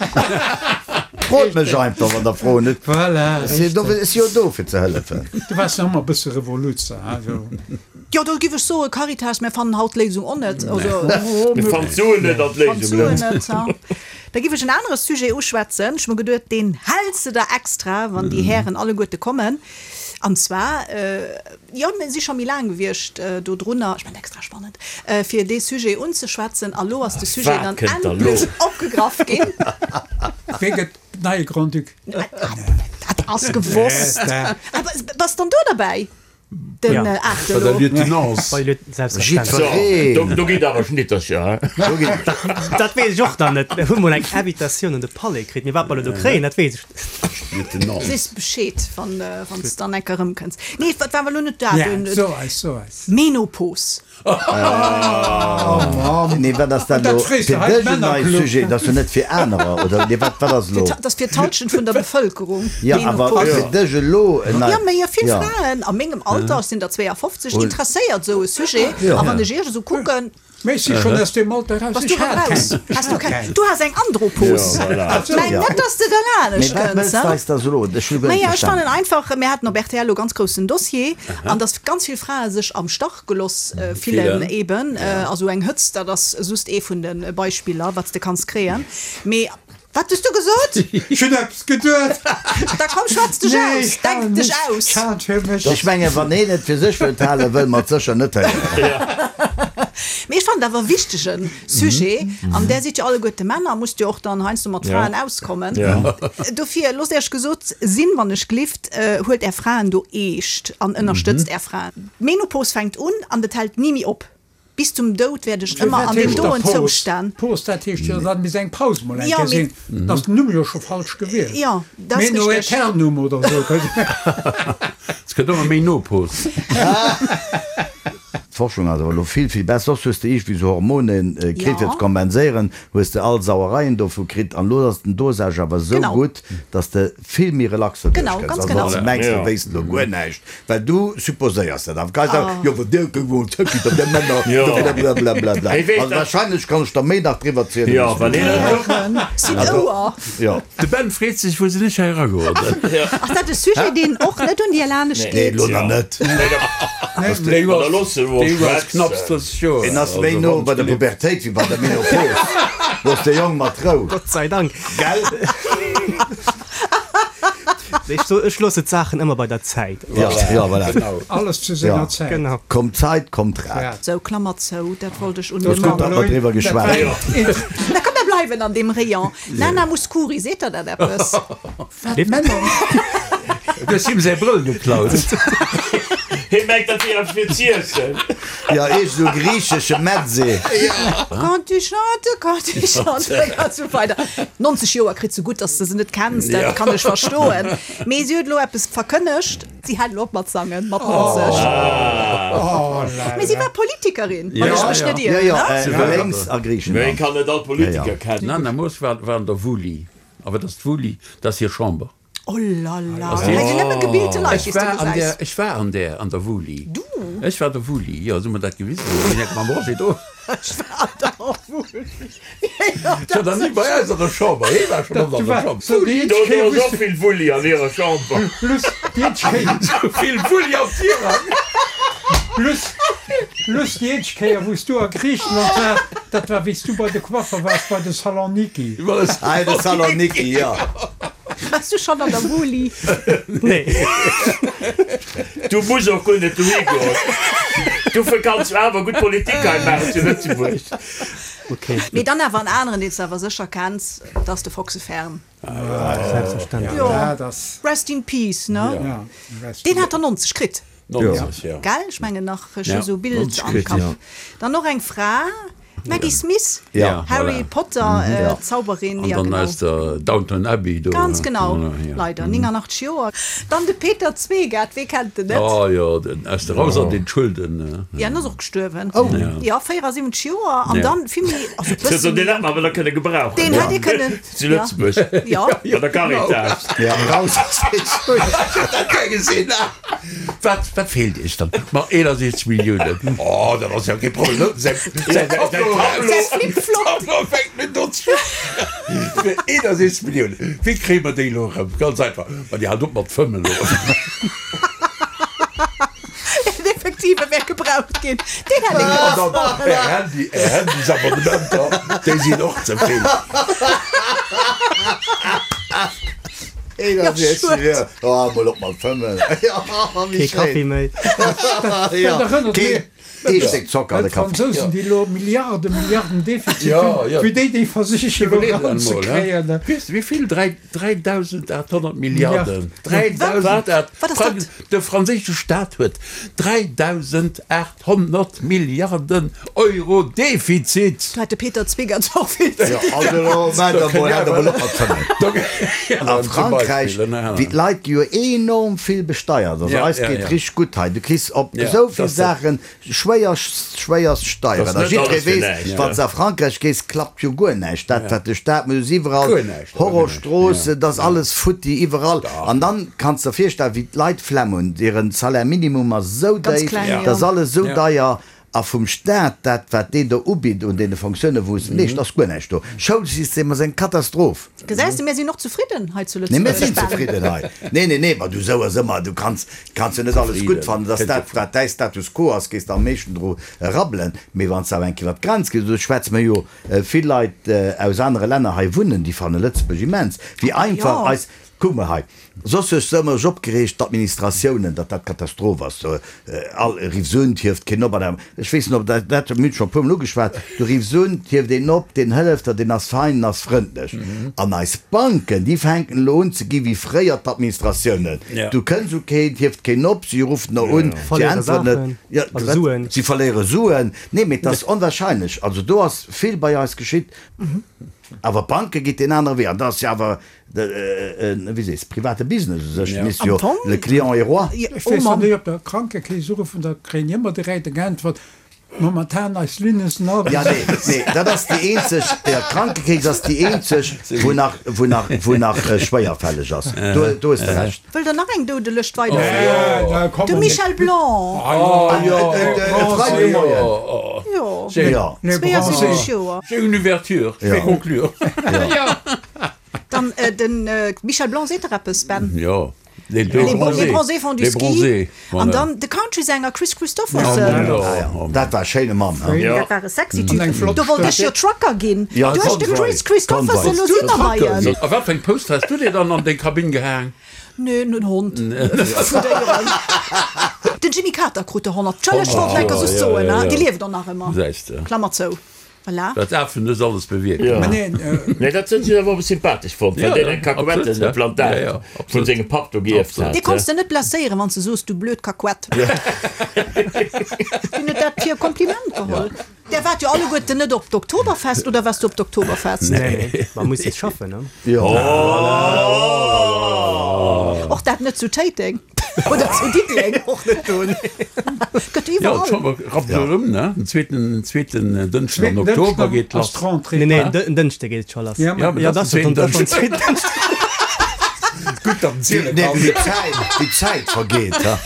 Frot mech einfach, wann der Froen hutt.
Voilà,
Ech sinn do, ech si jo do, fir ze hëllefen.
Du waars nach ëmmer e bësse Revoluzer, hein, jo.
Jo, do giff ech soen, Caritas, mir fannen haut d'Léisung och net. Also,
Mir fannen d'Suen net an
fannen
d'Léisung
d'Suen
net.
net, ha. Da giff ech en anere Sujet uschwätzen. Ech hu mer geduet, deen häls de der extra, wann déi Hären alleguerte kommen. An zwar, jo, mir si scho méi laang gewiescht do drunner, ech mengen extra spannend, fir dee Sujet unzeschwätzen. A lo ass de Sujet
Wat
dann
kënnt da lo?
endlech opgegraff ginn.
Wee gëtt neie Grand-Duc?
Dat ass gewosst. Awer bass dann do derbäi? Den
Ja.
aachte
Bei der
lo.
Lieutenance.
Bei Lieu- Selbstverständlech.
Jiddwereen.
Do, do geet awer Schnittercher, he?
Do geet
Dat weess ech och dann net. Mir hu mol eng Invitatioun an de Palais kritt. Mee wat mer elo do kréien, dat weess ech net.
Lieutenance.
Sees Bescheed, wann wann s dann enker erëmkënns. Nee, wat war elo net dat?
Ja,
Den
so eis, so eis.
Menopos.
Nee, wat ass dat
Dat
elo
frees de
fir
hei
dech en neie
Männerclub.
Sujet? Dat ass jo net fir anerer, oder? Nee, wat, wat ass elo?
Dat ass fir d'Halschent vun der Bevëlkerung.
Ja, awer
Menopos.
fir dech elo en
Ja,
nei.
mee jo vill
Ja.
Fraen a mengem Alter, ech sinn der zweeafofzeg, interesséiert esou e Sujet.
Ja.
A wann ech iech esou kucken,
Mee ech si schonn aus deem Alter raus.
bass du
Ech
rëm
hat
raus.
keng. Ech
Has du
hat
keng?
keng.
Du has eng Andropos.
Ja, voilà.
Meng
Ja.
net, dass de
Mee
derlaanescht
wat
kënns,
wëlls
he?
du eis da elo? Ech hu guer net
Naja, ech fannen
verstanen.
einfach, mir haten op R T L elo ganz groussen Dossier, an dass ganz vill Frae sech am Stach geloss fillen
Fillen.
eben. Also eng Hëtzt, dat ass just ee vun de Beispiller, wat s de kanns kréien. Mee wat hues du gesot?
Ech hunn eppes geduet.
Da komm, schwätz dech
Nee,
aus,
ech halen
denk dech
mech-
aus.
ech halen fir mech.
Ech mengen, wann een et fir sech wëllt halen, wëlle mer et sécher net héieren.
Mee ech fannen et awer e wichtege Sujet, an där sidd jo alleguerte Männer, musst jo och dann heiansdo mat Fraen auskommen. Dofir loosst Iech gesot sinn, wann ech glift, huelt Är Fraen do eescht an ënnerstëtzt Är Fraen. D'Menopos fänkt un an et hält ni méi op. Bis zum Doud wäert ech ëmmer an deem doen Zoustand.
Pos, dat heescht jo, datt misst eng Paus mol eng Kéier sinn. Da ass den Numm jo scho falsch gewielt.
Jo, dat ass richteg.
Meno-Aeternum oder esou.
Et gëtt ëmmer méi no Pos.
D'Forschung ass awer elo vill, vill besser. Soss hues de iergendwéi esou Hormone kritt fir ze kompenséieren, hues de all Sauereien dovu kritt. An elo ass den Dosage awer esou gutt, dass de vill méi relax doduerch kënns. Also wann s de mengs, du wéisst elo guer näischt, well du supposéiers dat awer. Geis awer, jo, wa dir der Männer, blablabla. Also wahrscheinlech kann ech der méi nach driwwer zielen, wéi s du wëlls. Jo.
De Ben freet sech, wou sinn ech hei erageroden?
Ass dat e Sujet, deen och net un dir lanescht
geet? Nee, elo nach net. En ass méi no bei der Pubertéit wéi bei der Menopos. Looss de Jong mat Rou.
Gott sei Dank.
Gell?
Ech loosse d'Saachen ëmmer bei der Zäit.
Ja, ja, voilà.
Alles zu senger Zäit.
Genau.
Kommt Zäit, kommt Rat.
Sou, Klammer zou, dat wollt ech un
de Mann. Gutt, datt mer driwwer geschwat hunn.
Da komm, mer bleiwen an deem Rayon. Nana Mouskouri, seet der dat eppes?
Wat Männer.
Du hues him säi Brëll geklaut.
Hie mengt, dat wier eppes fir z'iessen.
Jo, iergend esou griichesche Mezze.
Quand tu chantes, quand tu chantes, an esou weider. Nonzeg Joer kritt se, gutt, dass de se net kenns, dat kann ech verstoen. Mee si huet elo eppes verkënnegt, si hält elo op mat sangen, mat nonzeg. Mee si war Politikerin, wann ech mech net ieren, ne?
Jo, jo, lénks a
Mee
Griichenland.
kann net all Politiker kennen.
D'Nana Moos war an der Wuli. A wat ass d'Wuli? Dat ass hir Chamber.
Oh la la, hei sinn nëmme gebilte Leit, déi s de gesäis.
Ech war an där, an der Wuli.
Du?
Ech war der Wuli, jo, se hu mer dat gewisen, do sinn ech mam Roger do.
Ech war an der Wuli.
Ech war nach ni bei eis an der Chamber, hee war schonn oft an der Chamber.
Do ass och vill Wulli an hirer Chamber.
Plus déi eenzeg Kéier.
Sou vill Wulli am Tirang.
Plus, plus déi eenzeg Kéier, wou s du a Griichenland waars, dat war wéi s du bei de Coiffer waars, bei de Saloniki.
Ah, de Saloniki, jo.
Wars du schon an der Wuli?
Nee.
Du muss och guer net dohi goen. Dofir kanns du awer gutt Politik hei maachen zu Lëtzebuerg.
Okay.
Mee dann awer en aneren, deen s de awer sécher kenns, dat ass de Foxe Fern.
Selbstverständlech.
Jo,
Dat ass.
Rest in Peace, ne?
Ja, rest
Deen hat der nonzeg kritt.
Nonzeg, jo.
Gell? Ech mengen nach, ech hu
Ja,
sou Bild
nonzeg
am
kritt,
Kapp.
ja.
Dann och eng Fra, Maggie Smith,
Ja.
Harry
Voilà.
Potter,
Ja.
Zauberin,
An
ja
dann
genau.
aus der Downton Abbey do.
Ganz genau,
Voilà, ja.
leider, nénganachteg Joer. Dann de Peter Zwegat, wee kennt en net?
Oh jo, den aus der Raus an den Schulden.
Ja, en ass och gestuerwen.
Oh.
Ja, véierasiwwenzeg Joer. An
Ja.
dann vill méi, also e
Also
bëssen
deen
méi.
hätt mer awer da kënne gebrauchen.
Deen hätt Dir kënnen,
Zu Lëtzebuerg.
Ja.
Bei der Caritas.
Ja, raus aus den Schulden.
Ech hätt dat gär gesinn. Wat, wat feelt Iech dann? Ma eenundsechzeg Milliounen. Oh, dat ass jo kee Problem. Säi, säi Tableau,
Säi Flip-Flop.
Tableau fänkt net un ze Fir eenundsechzeg Milliounen. Wéi kréie mer déi elo erëm? Ganz einfach, ma Dir haalt op mat fëmmen elo.
En effektive wär gebraucht ginn. Deen hätt ee
An dann
gebraucht.
Är Handy, Är Handysabonnementer, déi sinn och ze vill.
eenundsechzeg, oh, mol op mat fëmmen.
Kee Kaffi méi.
Dat erënnert
Kee
mech
ee Stéck Zocker an de
un
Kaffi.
d'Fransousen, déi elo Milliarden, Milliarden Defizit
Ja,
hunn,
ja.
wéi déi déi versichen elo
Iwwerleet emol,
eranzekréien.
hein. Weess de wéi vill? Dräi, dräidausendachthonnert Milliarden.
Wat ass dat?
De franséische Staat huet dräidausendachthonnert Milliarden Euro Defizit.
Do hätt de Peter Zwegert och vill ze
Jo,
dinn.
also elo maach der mol, hat der mol op mat fëmmen. A Frankräich, wéi d'Leit gi jo enorm vill besteiert. Also
Ja,
eis
ja,
geet
ja.
richteg gutt hei. Du kriss op
Ja,
esou vill
dat ass dat.
Saachen schwéier, schwéierst Steieren.
Das
A
net
jiddweree
alles fir
weess,
näischt,
wann s de a Frankräich gees, klappt jo guer näischt. Dat, wat de Staat muss, iwwerall
Guer näischt,
Horrorstroossen, dat ass alles futti iwwerall. An dann kanns de der virstellen, wéi d'Leit Flemm hunn. Hiren Salaire minimum ass esou
Ganz
déif,
kleng,
dat ass
ja.
alles esou
Ja.
deier. A vum Staat, dat wat deen do ubitt un deene Fonctiounen, wou es meescht, ass guer näischt do. Schoulsystem ass eng Katastroph.
Gesäis de, mir sinn och zefridden hei zu
Nee, mir
Lëtzebuerg.
sinn zefridden hei. Nee, nee, nee, ma du sou ass ëmmer, du kanns, kanns jo net alles gutt fannen. Dass dat, wat däi Status quo ass, gees de am meeschten dru rabbelen. Mee wann s de awer eng Kéier iwwer d'Grenz gees, do schwätze mer jo vill Leit aus anere Länner hei wunnen, déi fanne Lëtzebuerg immens, wéi einfach
Jo.
eis. Kuck mol hei, soss hues de ëmmer dech opgereegt, d'Administratiounen, datt dat Katastroph ass, do all riffs un, 't hieft keen op an ech weess net, ob dat, dat hu mir scho e puermol ugeschwat, du riffs un, 't hieft een op, deen hëlleft der, deen ass fein, en ass frëndlech. An eis Banken, déi fänken elo un ze gi wéi fréier d'Administratiounen, du kënns u keen, 't hieft keen op, si ruffen der un, si
Verléiere
äntweren net,
Saachen,
jo,
also
wat,
Suen.
si verléiere Suen. Nee, mee 't ass onwahrscheinlech, also do ass vill bei eis geschitt. Awer d'Banke geet deen anere Wee an dat ass jo awer en, wéi sees, private Business u sech. Misst jo le client est roi.
Ech weess wann déi op der Krankekeess uruffen, da kréien déi ëmmer direkt eng Äntwert, Momentan eis Linne sinn all
Ja, nee, nee, dat ass déi eenzeg, jo, d'Krankekeess ass déi eenzeg, wou nach, wou nach, wou nach schwéierfälleg ass. Do, do hues de Recht.
Wëllt der nach eng Doudelëscht weiderféieren? De Michel Blanc.
E Freidegmoien.
Jo.
Jo.
zweeënsiwwenzeg Joer.
J'ai une ouverture, je vais conclure.
Dann den Michel Blanc seet der eppes, Ben?
Jo, les deux
bronzés. Les bronzés font du
Les
ski.
bronzés,
An
voilà.
dann de Country-Sänger Kris Kristofferson.
Dat war e schéine Mann, he?
Dat war e sexy
An eng
Typ.
flott
Do wollt ech jo
Stëmm.
Trucker ginn.
Ja,
Duerch de
Convoy.
Kris Kristofferson,
Convoy.
lo si mer bei en.
A wat fir eng Post has du dir dann an deng Kabinn gehaang?
Neen, en Hond. Vu Déieren. Den Jimmy Carter krut der honnert. Tschëlleg, ech wollt enker soss soen, hein, dee lieft och nach ëmmer.
Gesäis de.
Klammer zou. Voilà.
Dat Afen hues alles bewierkt.
Mä neen.
Nee, dat hunn ech awer och sympathesch fonnt, well deen eng Kakuetteplantage vun sengem Papp do gierft hat.
Dee konns de net blesséieren, wann s de soos, du blöd Kakuett. Deen huet dat fir e Kompliment geholl. Där waart jo alleguerten net op d'Oktoberfest, oder waars du op d'Oktoberfest?
Nee, ma muss jetzt schaffen, ne?
Och dat net zu Téiteng oder zu Diddeleng?
Och net do, nee.
Gëtt
Jo,
iwwerall.
d'Chamber rappt elo erëm, ne? Den zweeten, zweeten Dënschden am Oktober geet
ass
lass.
d'Rentrée.
Nee, nee, en Dënschde geet et scho lass.
Ja,
Ja,
Ja,
dat ass
dat
den
ass
zweeten
den
Dënschden.
zweeten Dënschden.
Gutt, datt en ziele
Nee,
kann.
wéi d'Zäit, wéi d'Zäit vergeet, ha?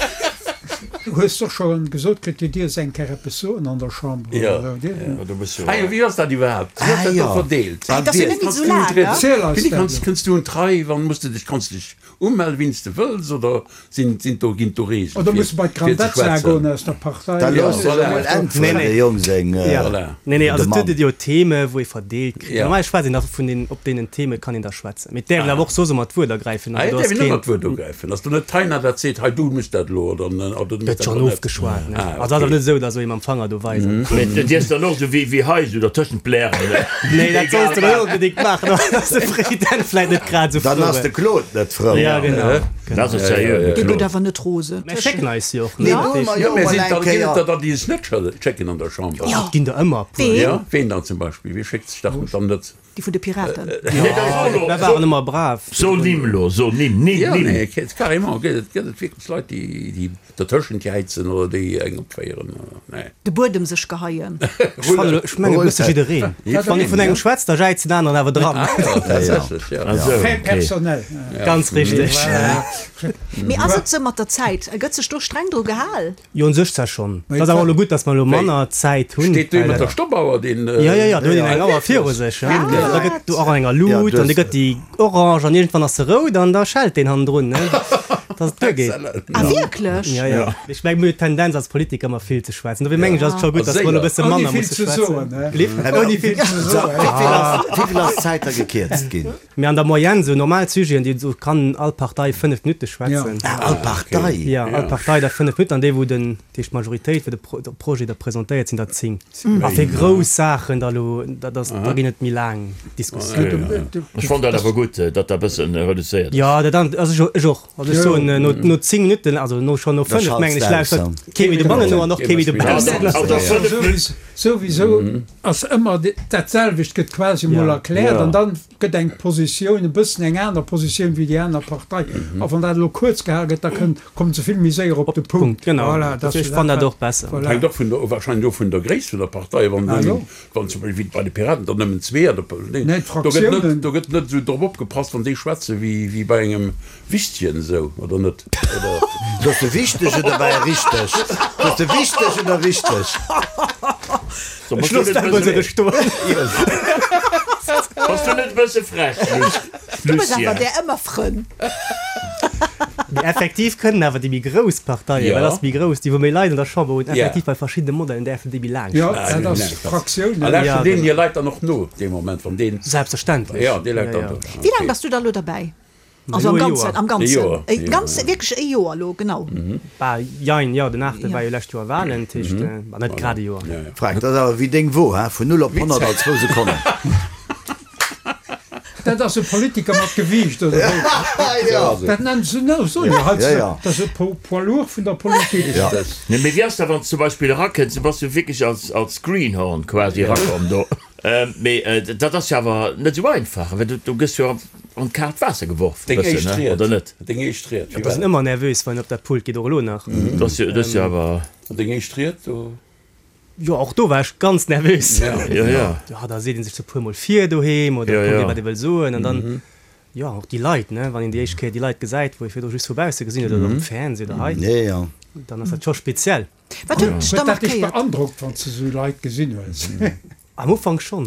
Du hues doch scho gesot kritt, du dierfs eng Kéier eppes soen an der Chamber,
Ja.
oder esou, dir?
Ja, du bist jo.
Ah jo, wéi ass dat iwwerhaapt? Wéi ass
Ah
dat
jo.
do verdeelt?
Dat ass jo net méi esou laang, ne?
Erziel eis
Wéini
dat
kanns,
elo.
kënns du un d'Rei? Wann muss de dech, kanns de dech umellen, wéini s de wëlls, oder sinn, sinn do, ginn do Reegelen
Oder
fir,
muss de bei
fir ze
d'Grandezza
schwätzen?
goen aus der Partei?
Da
Ja,
looss dech
voilà.
emol
Nee,
äntweren,
nee.
de Jong seng
Ja.
Voilà.
Nee, nee, also et
Demande.
gëtt jo Theme, wou ee verdeelt kritt.
Ja.
Normal schwätzt een da vun den, op deenen Theme kann een da schwätzen. Mee et däerf een awer och soss ëmmer d'Wuert ergräifen.
Ah,
Also
et
do ass
däerf een ëmmer
keen.
d'Wuert ergräifen. Ass do net d'Taina, dat seet, hei du muss dat elo, oder, oder du muss
Gëtt
dat
schonn
elo net?
ofgeschwat, ne?
Ah,
Also ass awer
okay.
net esou, datt esou ee mam Fanger do weisen.
Mee du dierfs dann och esou wéi, wéi hei, esou dertëschent blären, ne?
Nee, dat
Egal
solls de net
wat.
onbedéngt maachen, dann ass de President vläit net grad esou
Dann
frou.
ass de Claude net frou.
Ja, genau.
Dat ass seriö, de
Dee gëtt
Claude.
awer net rosen.
Mä schécken eis jo och,
Nee,
ne?
do
Dat
hu
heescht,
mer
Jo,
jo
mä
mol
sinn
eng
da, ginn et
Kéier.
der dann, déi es net schécken an der Chamber?
Ja.
Et ginn der ëmmer e puer.
Ween?
Ja, ween dann zum Beispill? Wie schéckt sech dach dann net?
Déi vun de Piraten.
Nee, da so
Mer
lo,
waren ëmmer brav.
so Nimm lo, so Nimm, Nimm,
Ja,
Nimm.
nee, ke- carrément, gëtt et, gëtt et wierklech Leit, déi, déi dertëschent jäizen oder déi eng opféieren? Nee.
De Buedem sech geheien.
Ech fannen elo, ech mengen e bësse jiddereen. Wann ee vun engem schwätzt, da jäizt den aneren awer dran.
Ah, ja, tatsächlech, ja.
Ah, so,
Fait
okay.
personnel.
Ganz richteg.
Mee ass et sou mat der Zäit? Gëtt sech do streng dru gehal?
Jo, un sech zwar schonn.
Mee
Et ass awer elo
wat-
gutt, datt mer elo manner Zäit hunn,
Steet dee
well
mat der Stoppauer, deen.
Jo, jo, jo, do huet een eng Auer viru sech. Ja. Da gëtt do och enger Lut an da gëtt déi orange an iergendwann ass se rout an da schellt deen hannendrun, ne, dass et duergeet.
Ah, wierklech?
Ja, ja. Ech meng, mir hunn d'Tendenz als Politiker ëmmer vill ze schwätzen. Dofir mengen ech, ass et scho gutt, dass mer elo e bësse
Ouni
manner
vill
musse
ze
schwätzen.
soen, ne?
Lift? Ouni vill ze
soen.
Wéi vill ass d'Zäit da gekierzt ginn?
Mee an der Moyenne, sou normal Sujeten, déi esou kann all Partei fënnef Minutte schwätzen.
Ah, all Partei?
Ja, all Partei da fënnef Minutten an déi, wou den, dat heescht d'Majoritéit, wou de Pro, de Projet da presentéiert, sinn der zéng. A fir grouss Saachen da elo, dat ass, da ginn et méi laang Diskussiounen.
Ech fonnt dat awer gutt, datt dat e bëssen reduzéiert ass.
Ja, dat an, also ech, ech och. Also ech soen, no, no zéng Minutten, also no, schonn no
Da
fënnef,
schalts
mengen
de
ech,
aus,
lauschtert kee méi dobannen no an och kee méi dobaussen.
Also fënnef Minutten.
Souwisou ass ëmmer dat selwecht gëtt quasi mol erkläert an dann gëtt eng Positioun e bëssen eng aner Positioun wéi déi aner Partei. A wann dat elo kuerz gehal gëtt, da kënnt, kommt se vill méi séier op de Punkt.
Genau.
Voilà, dat
Ech fannen dat och besser.
Voilà.
Hänkt och vun der, wahrscheinlech och vun der Gréisst vun der Partei. Wann
Ah,
nëmmen,
jo.
wann zum Beispill wéi bei de Piraten der nëmmen zwee an der, nee,
Nee,
do gëtt net,
d'Fraktiounen.
do gëtt net esou drop opgepasst, wann déi schwätze wéi, wéi bei engem Wichtchen esou, oder net? Oder?
Sos de wichteg oder war richteg? Sos de wichteg oder richteg?
So,
Ech
bass du
looss
net
dat mol sou
bësse,
stoen.
bass du net bësse frech,
Du hues awer
Lucien?
där ëmmer Frënn.
Mee effektiv kënnen awer déi méi grouss Parteien,
Ja.
well ass méi grouss, déi wou méi Leit an der Chamber hunn,
Ja.
effektiv bei verschiddene Modellen däerfen déi méi laang
Ja,
schwätzen.
dat ass Fraktiounen.
A lauschtert
Ja,
deen
genau.
hir Leit dann och no, dee Moment, wann deen.
Selbstverständlech.
Ja, dee Leit
Ja,
dann
ja.
do.
Wéi laang bass du da elo derbäi? Also am Ganzen, am Ganzen.
Joer.
E ganz, wierklech e Joer elo, genau.
Bah, jein, jo, den aachte war jo lescht Joer Wahlen, dat heescht, bah, net grad e Joer.
Frank, dat ass awer wéi deng Wo, hein, vun null op honnert an zwou Sekonnen.
Dat ass e Politiker mat Gewiicht, oder wéi? Dat nennen se, no, soe jo hei, dat ass e Poids lourd vun der Politik.
Nee, mee wéi ass dat, wann s du zum Beispill erakënns, du bass jo wierklech als, als Greenhorn quasi erakomm do. Mee dat ass jo awer net esou einfach, well du, du gëss jo an d'kaalt Waasser geworf e
Deng
bëssen,
éischt
ne,
Ried,
oder net?
deng éischt Ried, wéi
Et ass
war
een ëmmer nervös, wann een op dat Pult geet, och elo nach.
Dat ass jo, dat ass jo awer.
dat? Deng éischt Ried do?
Jo, och do war ech ganz nervös.
Jo, jo.
Jo, da seet ee sech sou e puermol vir doheem oder
Jo,
kuckt
jo.
ee, wat ee wëll soen an dann, jo, och déi Leit, ne, wann een déi éischt Kéier déi Leit gesäit, wou ee virdru just vu bausse gesinn huet oder am Fernseh oder hei, dann ass dat scho speziell.
Wat huet dech da
Huet dat dech
markéiert?
beandrockt, wann s de sou Leit gesinn hues?
Am Ufank schonn.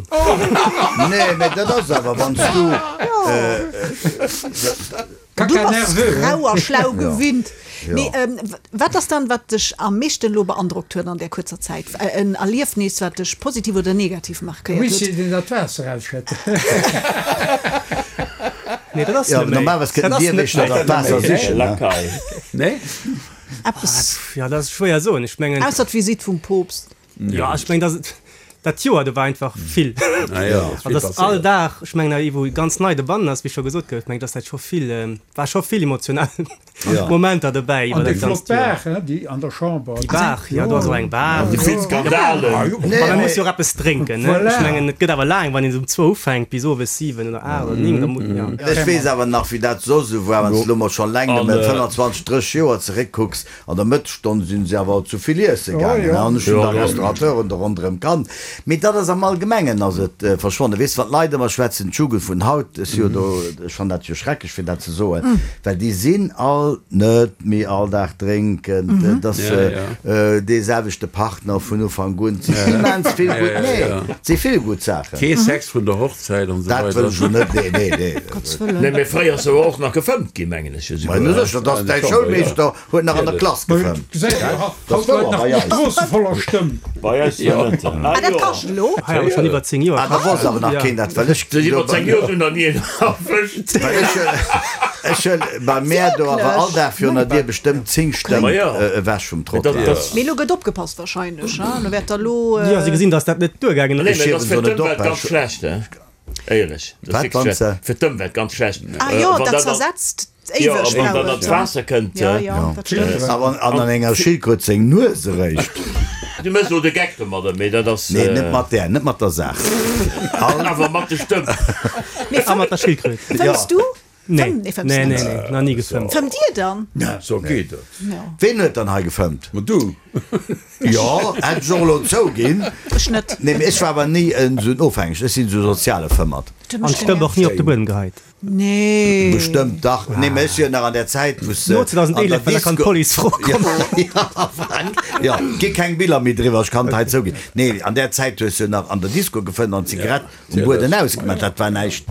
Nee, mä dat ass awer, wann s du.
Du bass rau a schlau gewinnt. Mee wat ass dann, wat dech am meeschten elo beandrockt huet an där kuerzer Zäit? En Erliefnis, wat dech positiv oder negativ markéiert
Misst
huet?
een dat Waasser ausschëtten?
Nee, dat ass
Jo,
net méi.
normalerweis
Dat
kënnt
ass
dir
net
wéischter
méi.
dat Waasser sichen, ne?
Lakai.
Nee?
Eppes,
Ja, dat ass schwéier soen. Ech mengen,
ausser d'Visitt vum Poopst.
ja, ech mengen, dat ass, dat Joer do war einfach vill.
Ah ja, ass
An
vill
dass all
passéiert.
Dag, ech mengen, ee wou ganz nei dobannen ass, wéi scho gesot gouf, mengen, dass dat scho vill, war scho vill emotional Momenter dobäi
An
iwwer
déi
dat
flott
ganzt Joer.
Baach, hein, déi an der Chamber.
Déi Baach, jo, do ass och eng Baach.
Déi vill Skandalen.
Ma man muss jo och eppes drénken, ne?
Voilà.
Ech mengen, et gëtt awer laang, wann een esou um zwou ufänkt bis owes siwen oder aacht oder néng, da mu, ja.
Ech weess awer nach, wéi dat soss esou war, wann s de elo mol schonn laang net méi, fënnanzwanzeg, drësseg Joer zeréckkucks, An der Mëttesstonn sinn se awer zu vill iesse gaangen, an ech hunn da Restaurateuren do ronderëm kannt. Mee dat ass am Allgemengen ass et verschwonnen. Weess, wann d'Leit ëmmer schwätzen, d'Jugend vun haut, ech si jo do, ech fannen dat jo schrecklech fir dat ze soen, well déi sinn all net méi all Dag drénken, et ass dee selwechte Partner vun Ufank un, et sinn immens vill gutt, nee, et si vill gutt Saachen.
Kee Sex vun der Hochzäit an esou
Dat
weider.
wëll ech jo net, nee, nee, nee.
Gottes Wëllen.
Nee, mee fréier ass awer och nach gefëmmt ginn, mengen ech esouguer.
Mä sécher, dass däi Schoulmeeschter huet nach an der Klass gefëmmt.
Gesäit een haut Leit nach op der Strooss voller Stëmm.
Bei eis jo net.
Ah, dat kascht elo.
Hei awer schonn iwwer zéng Joer.
Ah, da wosst awer nach keen dat, well ech.
Sech iwwer zéng Joer hunn nach ni een erwëscht.
Well ech, ech hunn bei mär do awer all Dag virun der Dier bestëmmt zéng Stëmm ewech vum Trottoir.
Mee elo gëtt opgepasst wahrscheinlech, hein? Elo wäert der elo.
Jo, si gesinn, datt dat net duergaangen
Nee,
ass.
mee dat ass fir
Ech hiewen so
d'Ëmwelt
net op,
ganz schlecht, hein? Éierlech, dat ass
Wat,
wierklech
wann
schlecht.
se.
Fir d'Ëmwelt ganz schlecht.
Ah jo,
Wann
dat
dat an,
zersetzt
jo,
éiweg,
wann dat
glaube
an
ich.
d'Waasser kënnt.
Ja, ja, dat stëmmt.
A wann an an enger Schildkröt seng Nues eréischt.
Du méchs elo de Geck domadder, mee dat ass.
Nee, net mat där, net mat der Saach.
Awer mat de Stëmm.
Mee
A mat der Schildkröt.
fëmms du?
Nee,
Fëmm, nee, fëmms
nee, nee,
net.
nee, nach ni gefëmmt.
Fëmmt dir dann?
So geet et.
Ween huet dann hei gefëmmt?
Ma du.
Jo, hätt ech och elo zouginn.
Ech net.
Nee, mee ech war awer ni en esou en Ofhängegen. Ech sinn esou soziale Fëmmert.
An d'Stëpp och ni op de Buedem geheit.
Nee.
Bestëmmt, dach. Nee, mee ech si jo nach an där Zäit, wou s
No
an der
zweedausendeelef, well da kann
Disco.
d'Police fro kommen.
Ja, Frank, jo, gi keng Biller méi driwwer, ech kann et hei zouginn. Nee, an där Zäit hues du jo nach an der Disco gefëmmt an d'Zigarett um Bueden ausgemaach. Dat war näischt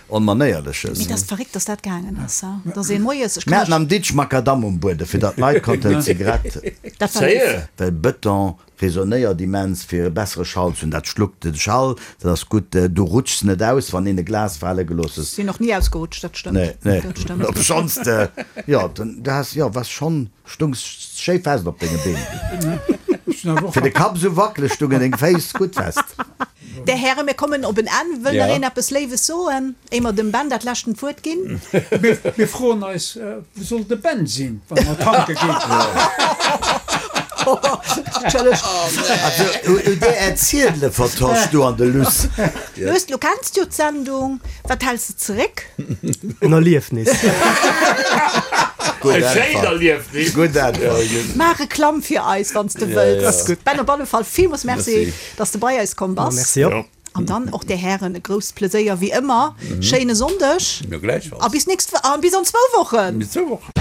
Onmanéierleches.
Mee dat ass verréckt, dass dat gaangen ass, ha? Dass een moies, ech
Mir
kann
haten am Ditsch Makadamm um Bueden, fir datt d'Leit konnten d'Zigarett.
Dat war léif.
Séier?
Well Bëton resonéiert immens, fir e bessere Schall ze hunn. Dat schluckt de Schall, dat ass gutt. Du rutschs net aus, wann een e Glas fale gelooss huet.
Sinn och ni ausgerutscht, dat stëmmt.
Nee, nee.
Dat stëmmt.
Obschonns de, jo, den, du has, jo, waars schonn, stungs schéi fest op denge Been. Fir de Kapp esou wackeleg stungen deng Féiss gutt fest.
Där Hären, mir kommen op en Enn. Wëll
Ja.
nach een eppes Léiwes soen, éier mer dem Ben dat leschten d'Wuert ginn?
Mir, mir froen eis, wou soll de Ben sinn, wa mer tanke ginn?
Entschëllegt.
Also, u där Erziedele vertosch du an de Luss.
Lues, lo kenns du jo d'Sendung. Wat häls de zeréck?
En Erliefnis.
Gutt
E schéint
Äntwert.
Erliefnis.
Gutt Äntwert.
Maach Reklamm fir eis, wann s de wëlls.
Ass
gutt. Ben, op alle Fall villmools Merci,
Merci.
dass de bei eis komm bass.
Merci och.
An dann och de Hären e grousst Pleséier wéi ëmmer. Schéine Sonndeg
Jo, gläichfalls.
a bis nächst, a bis an zwou Wochen.
Bis zwou Wochen.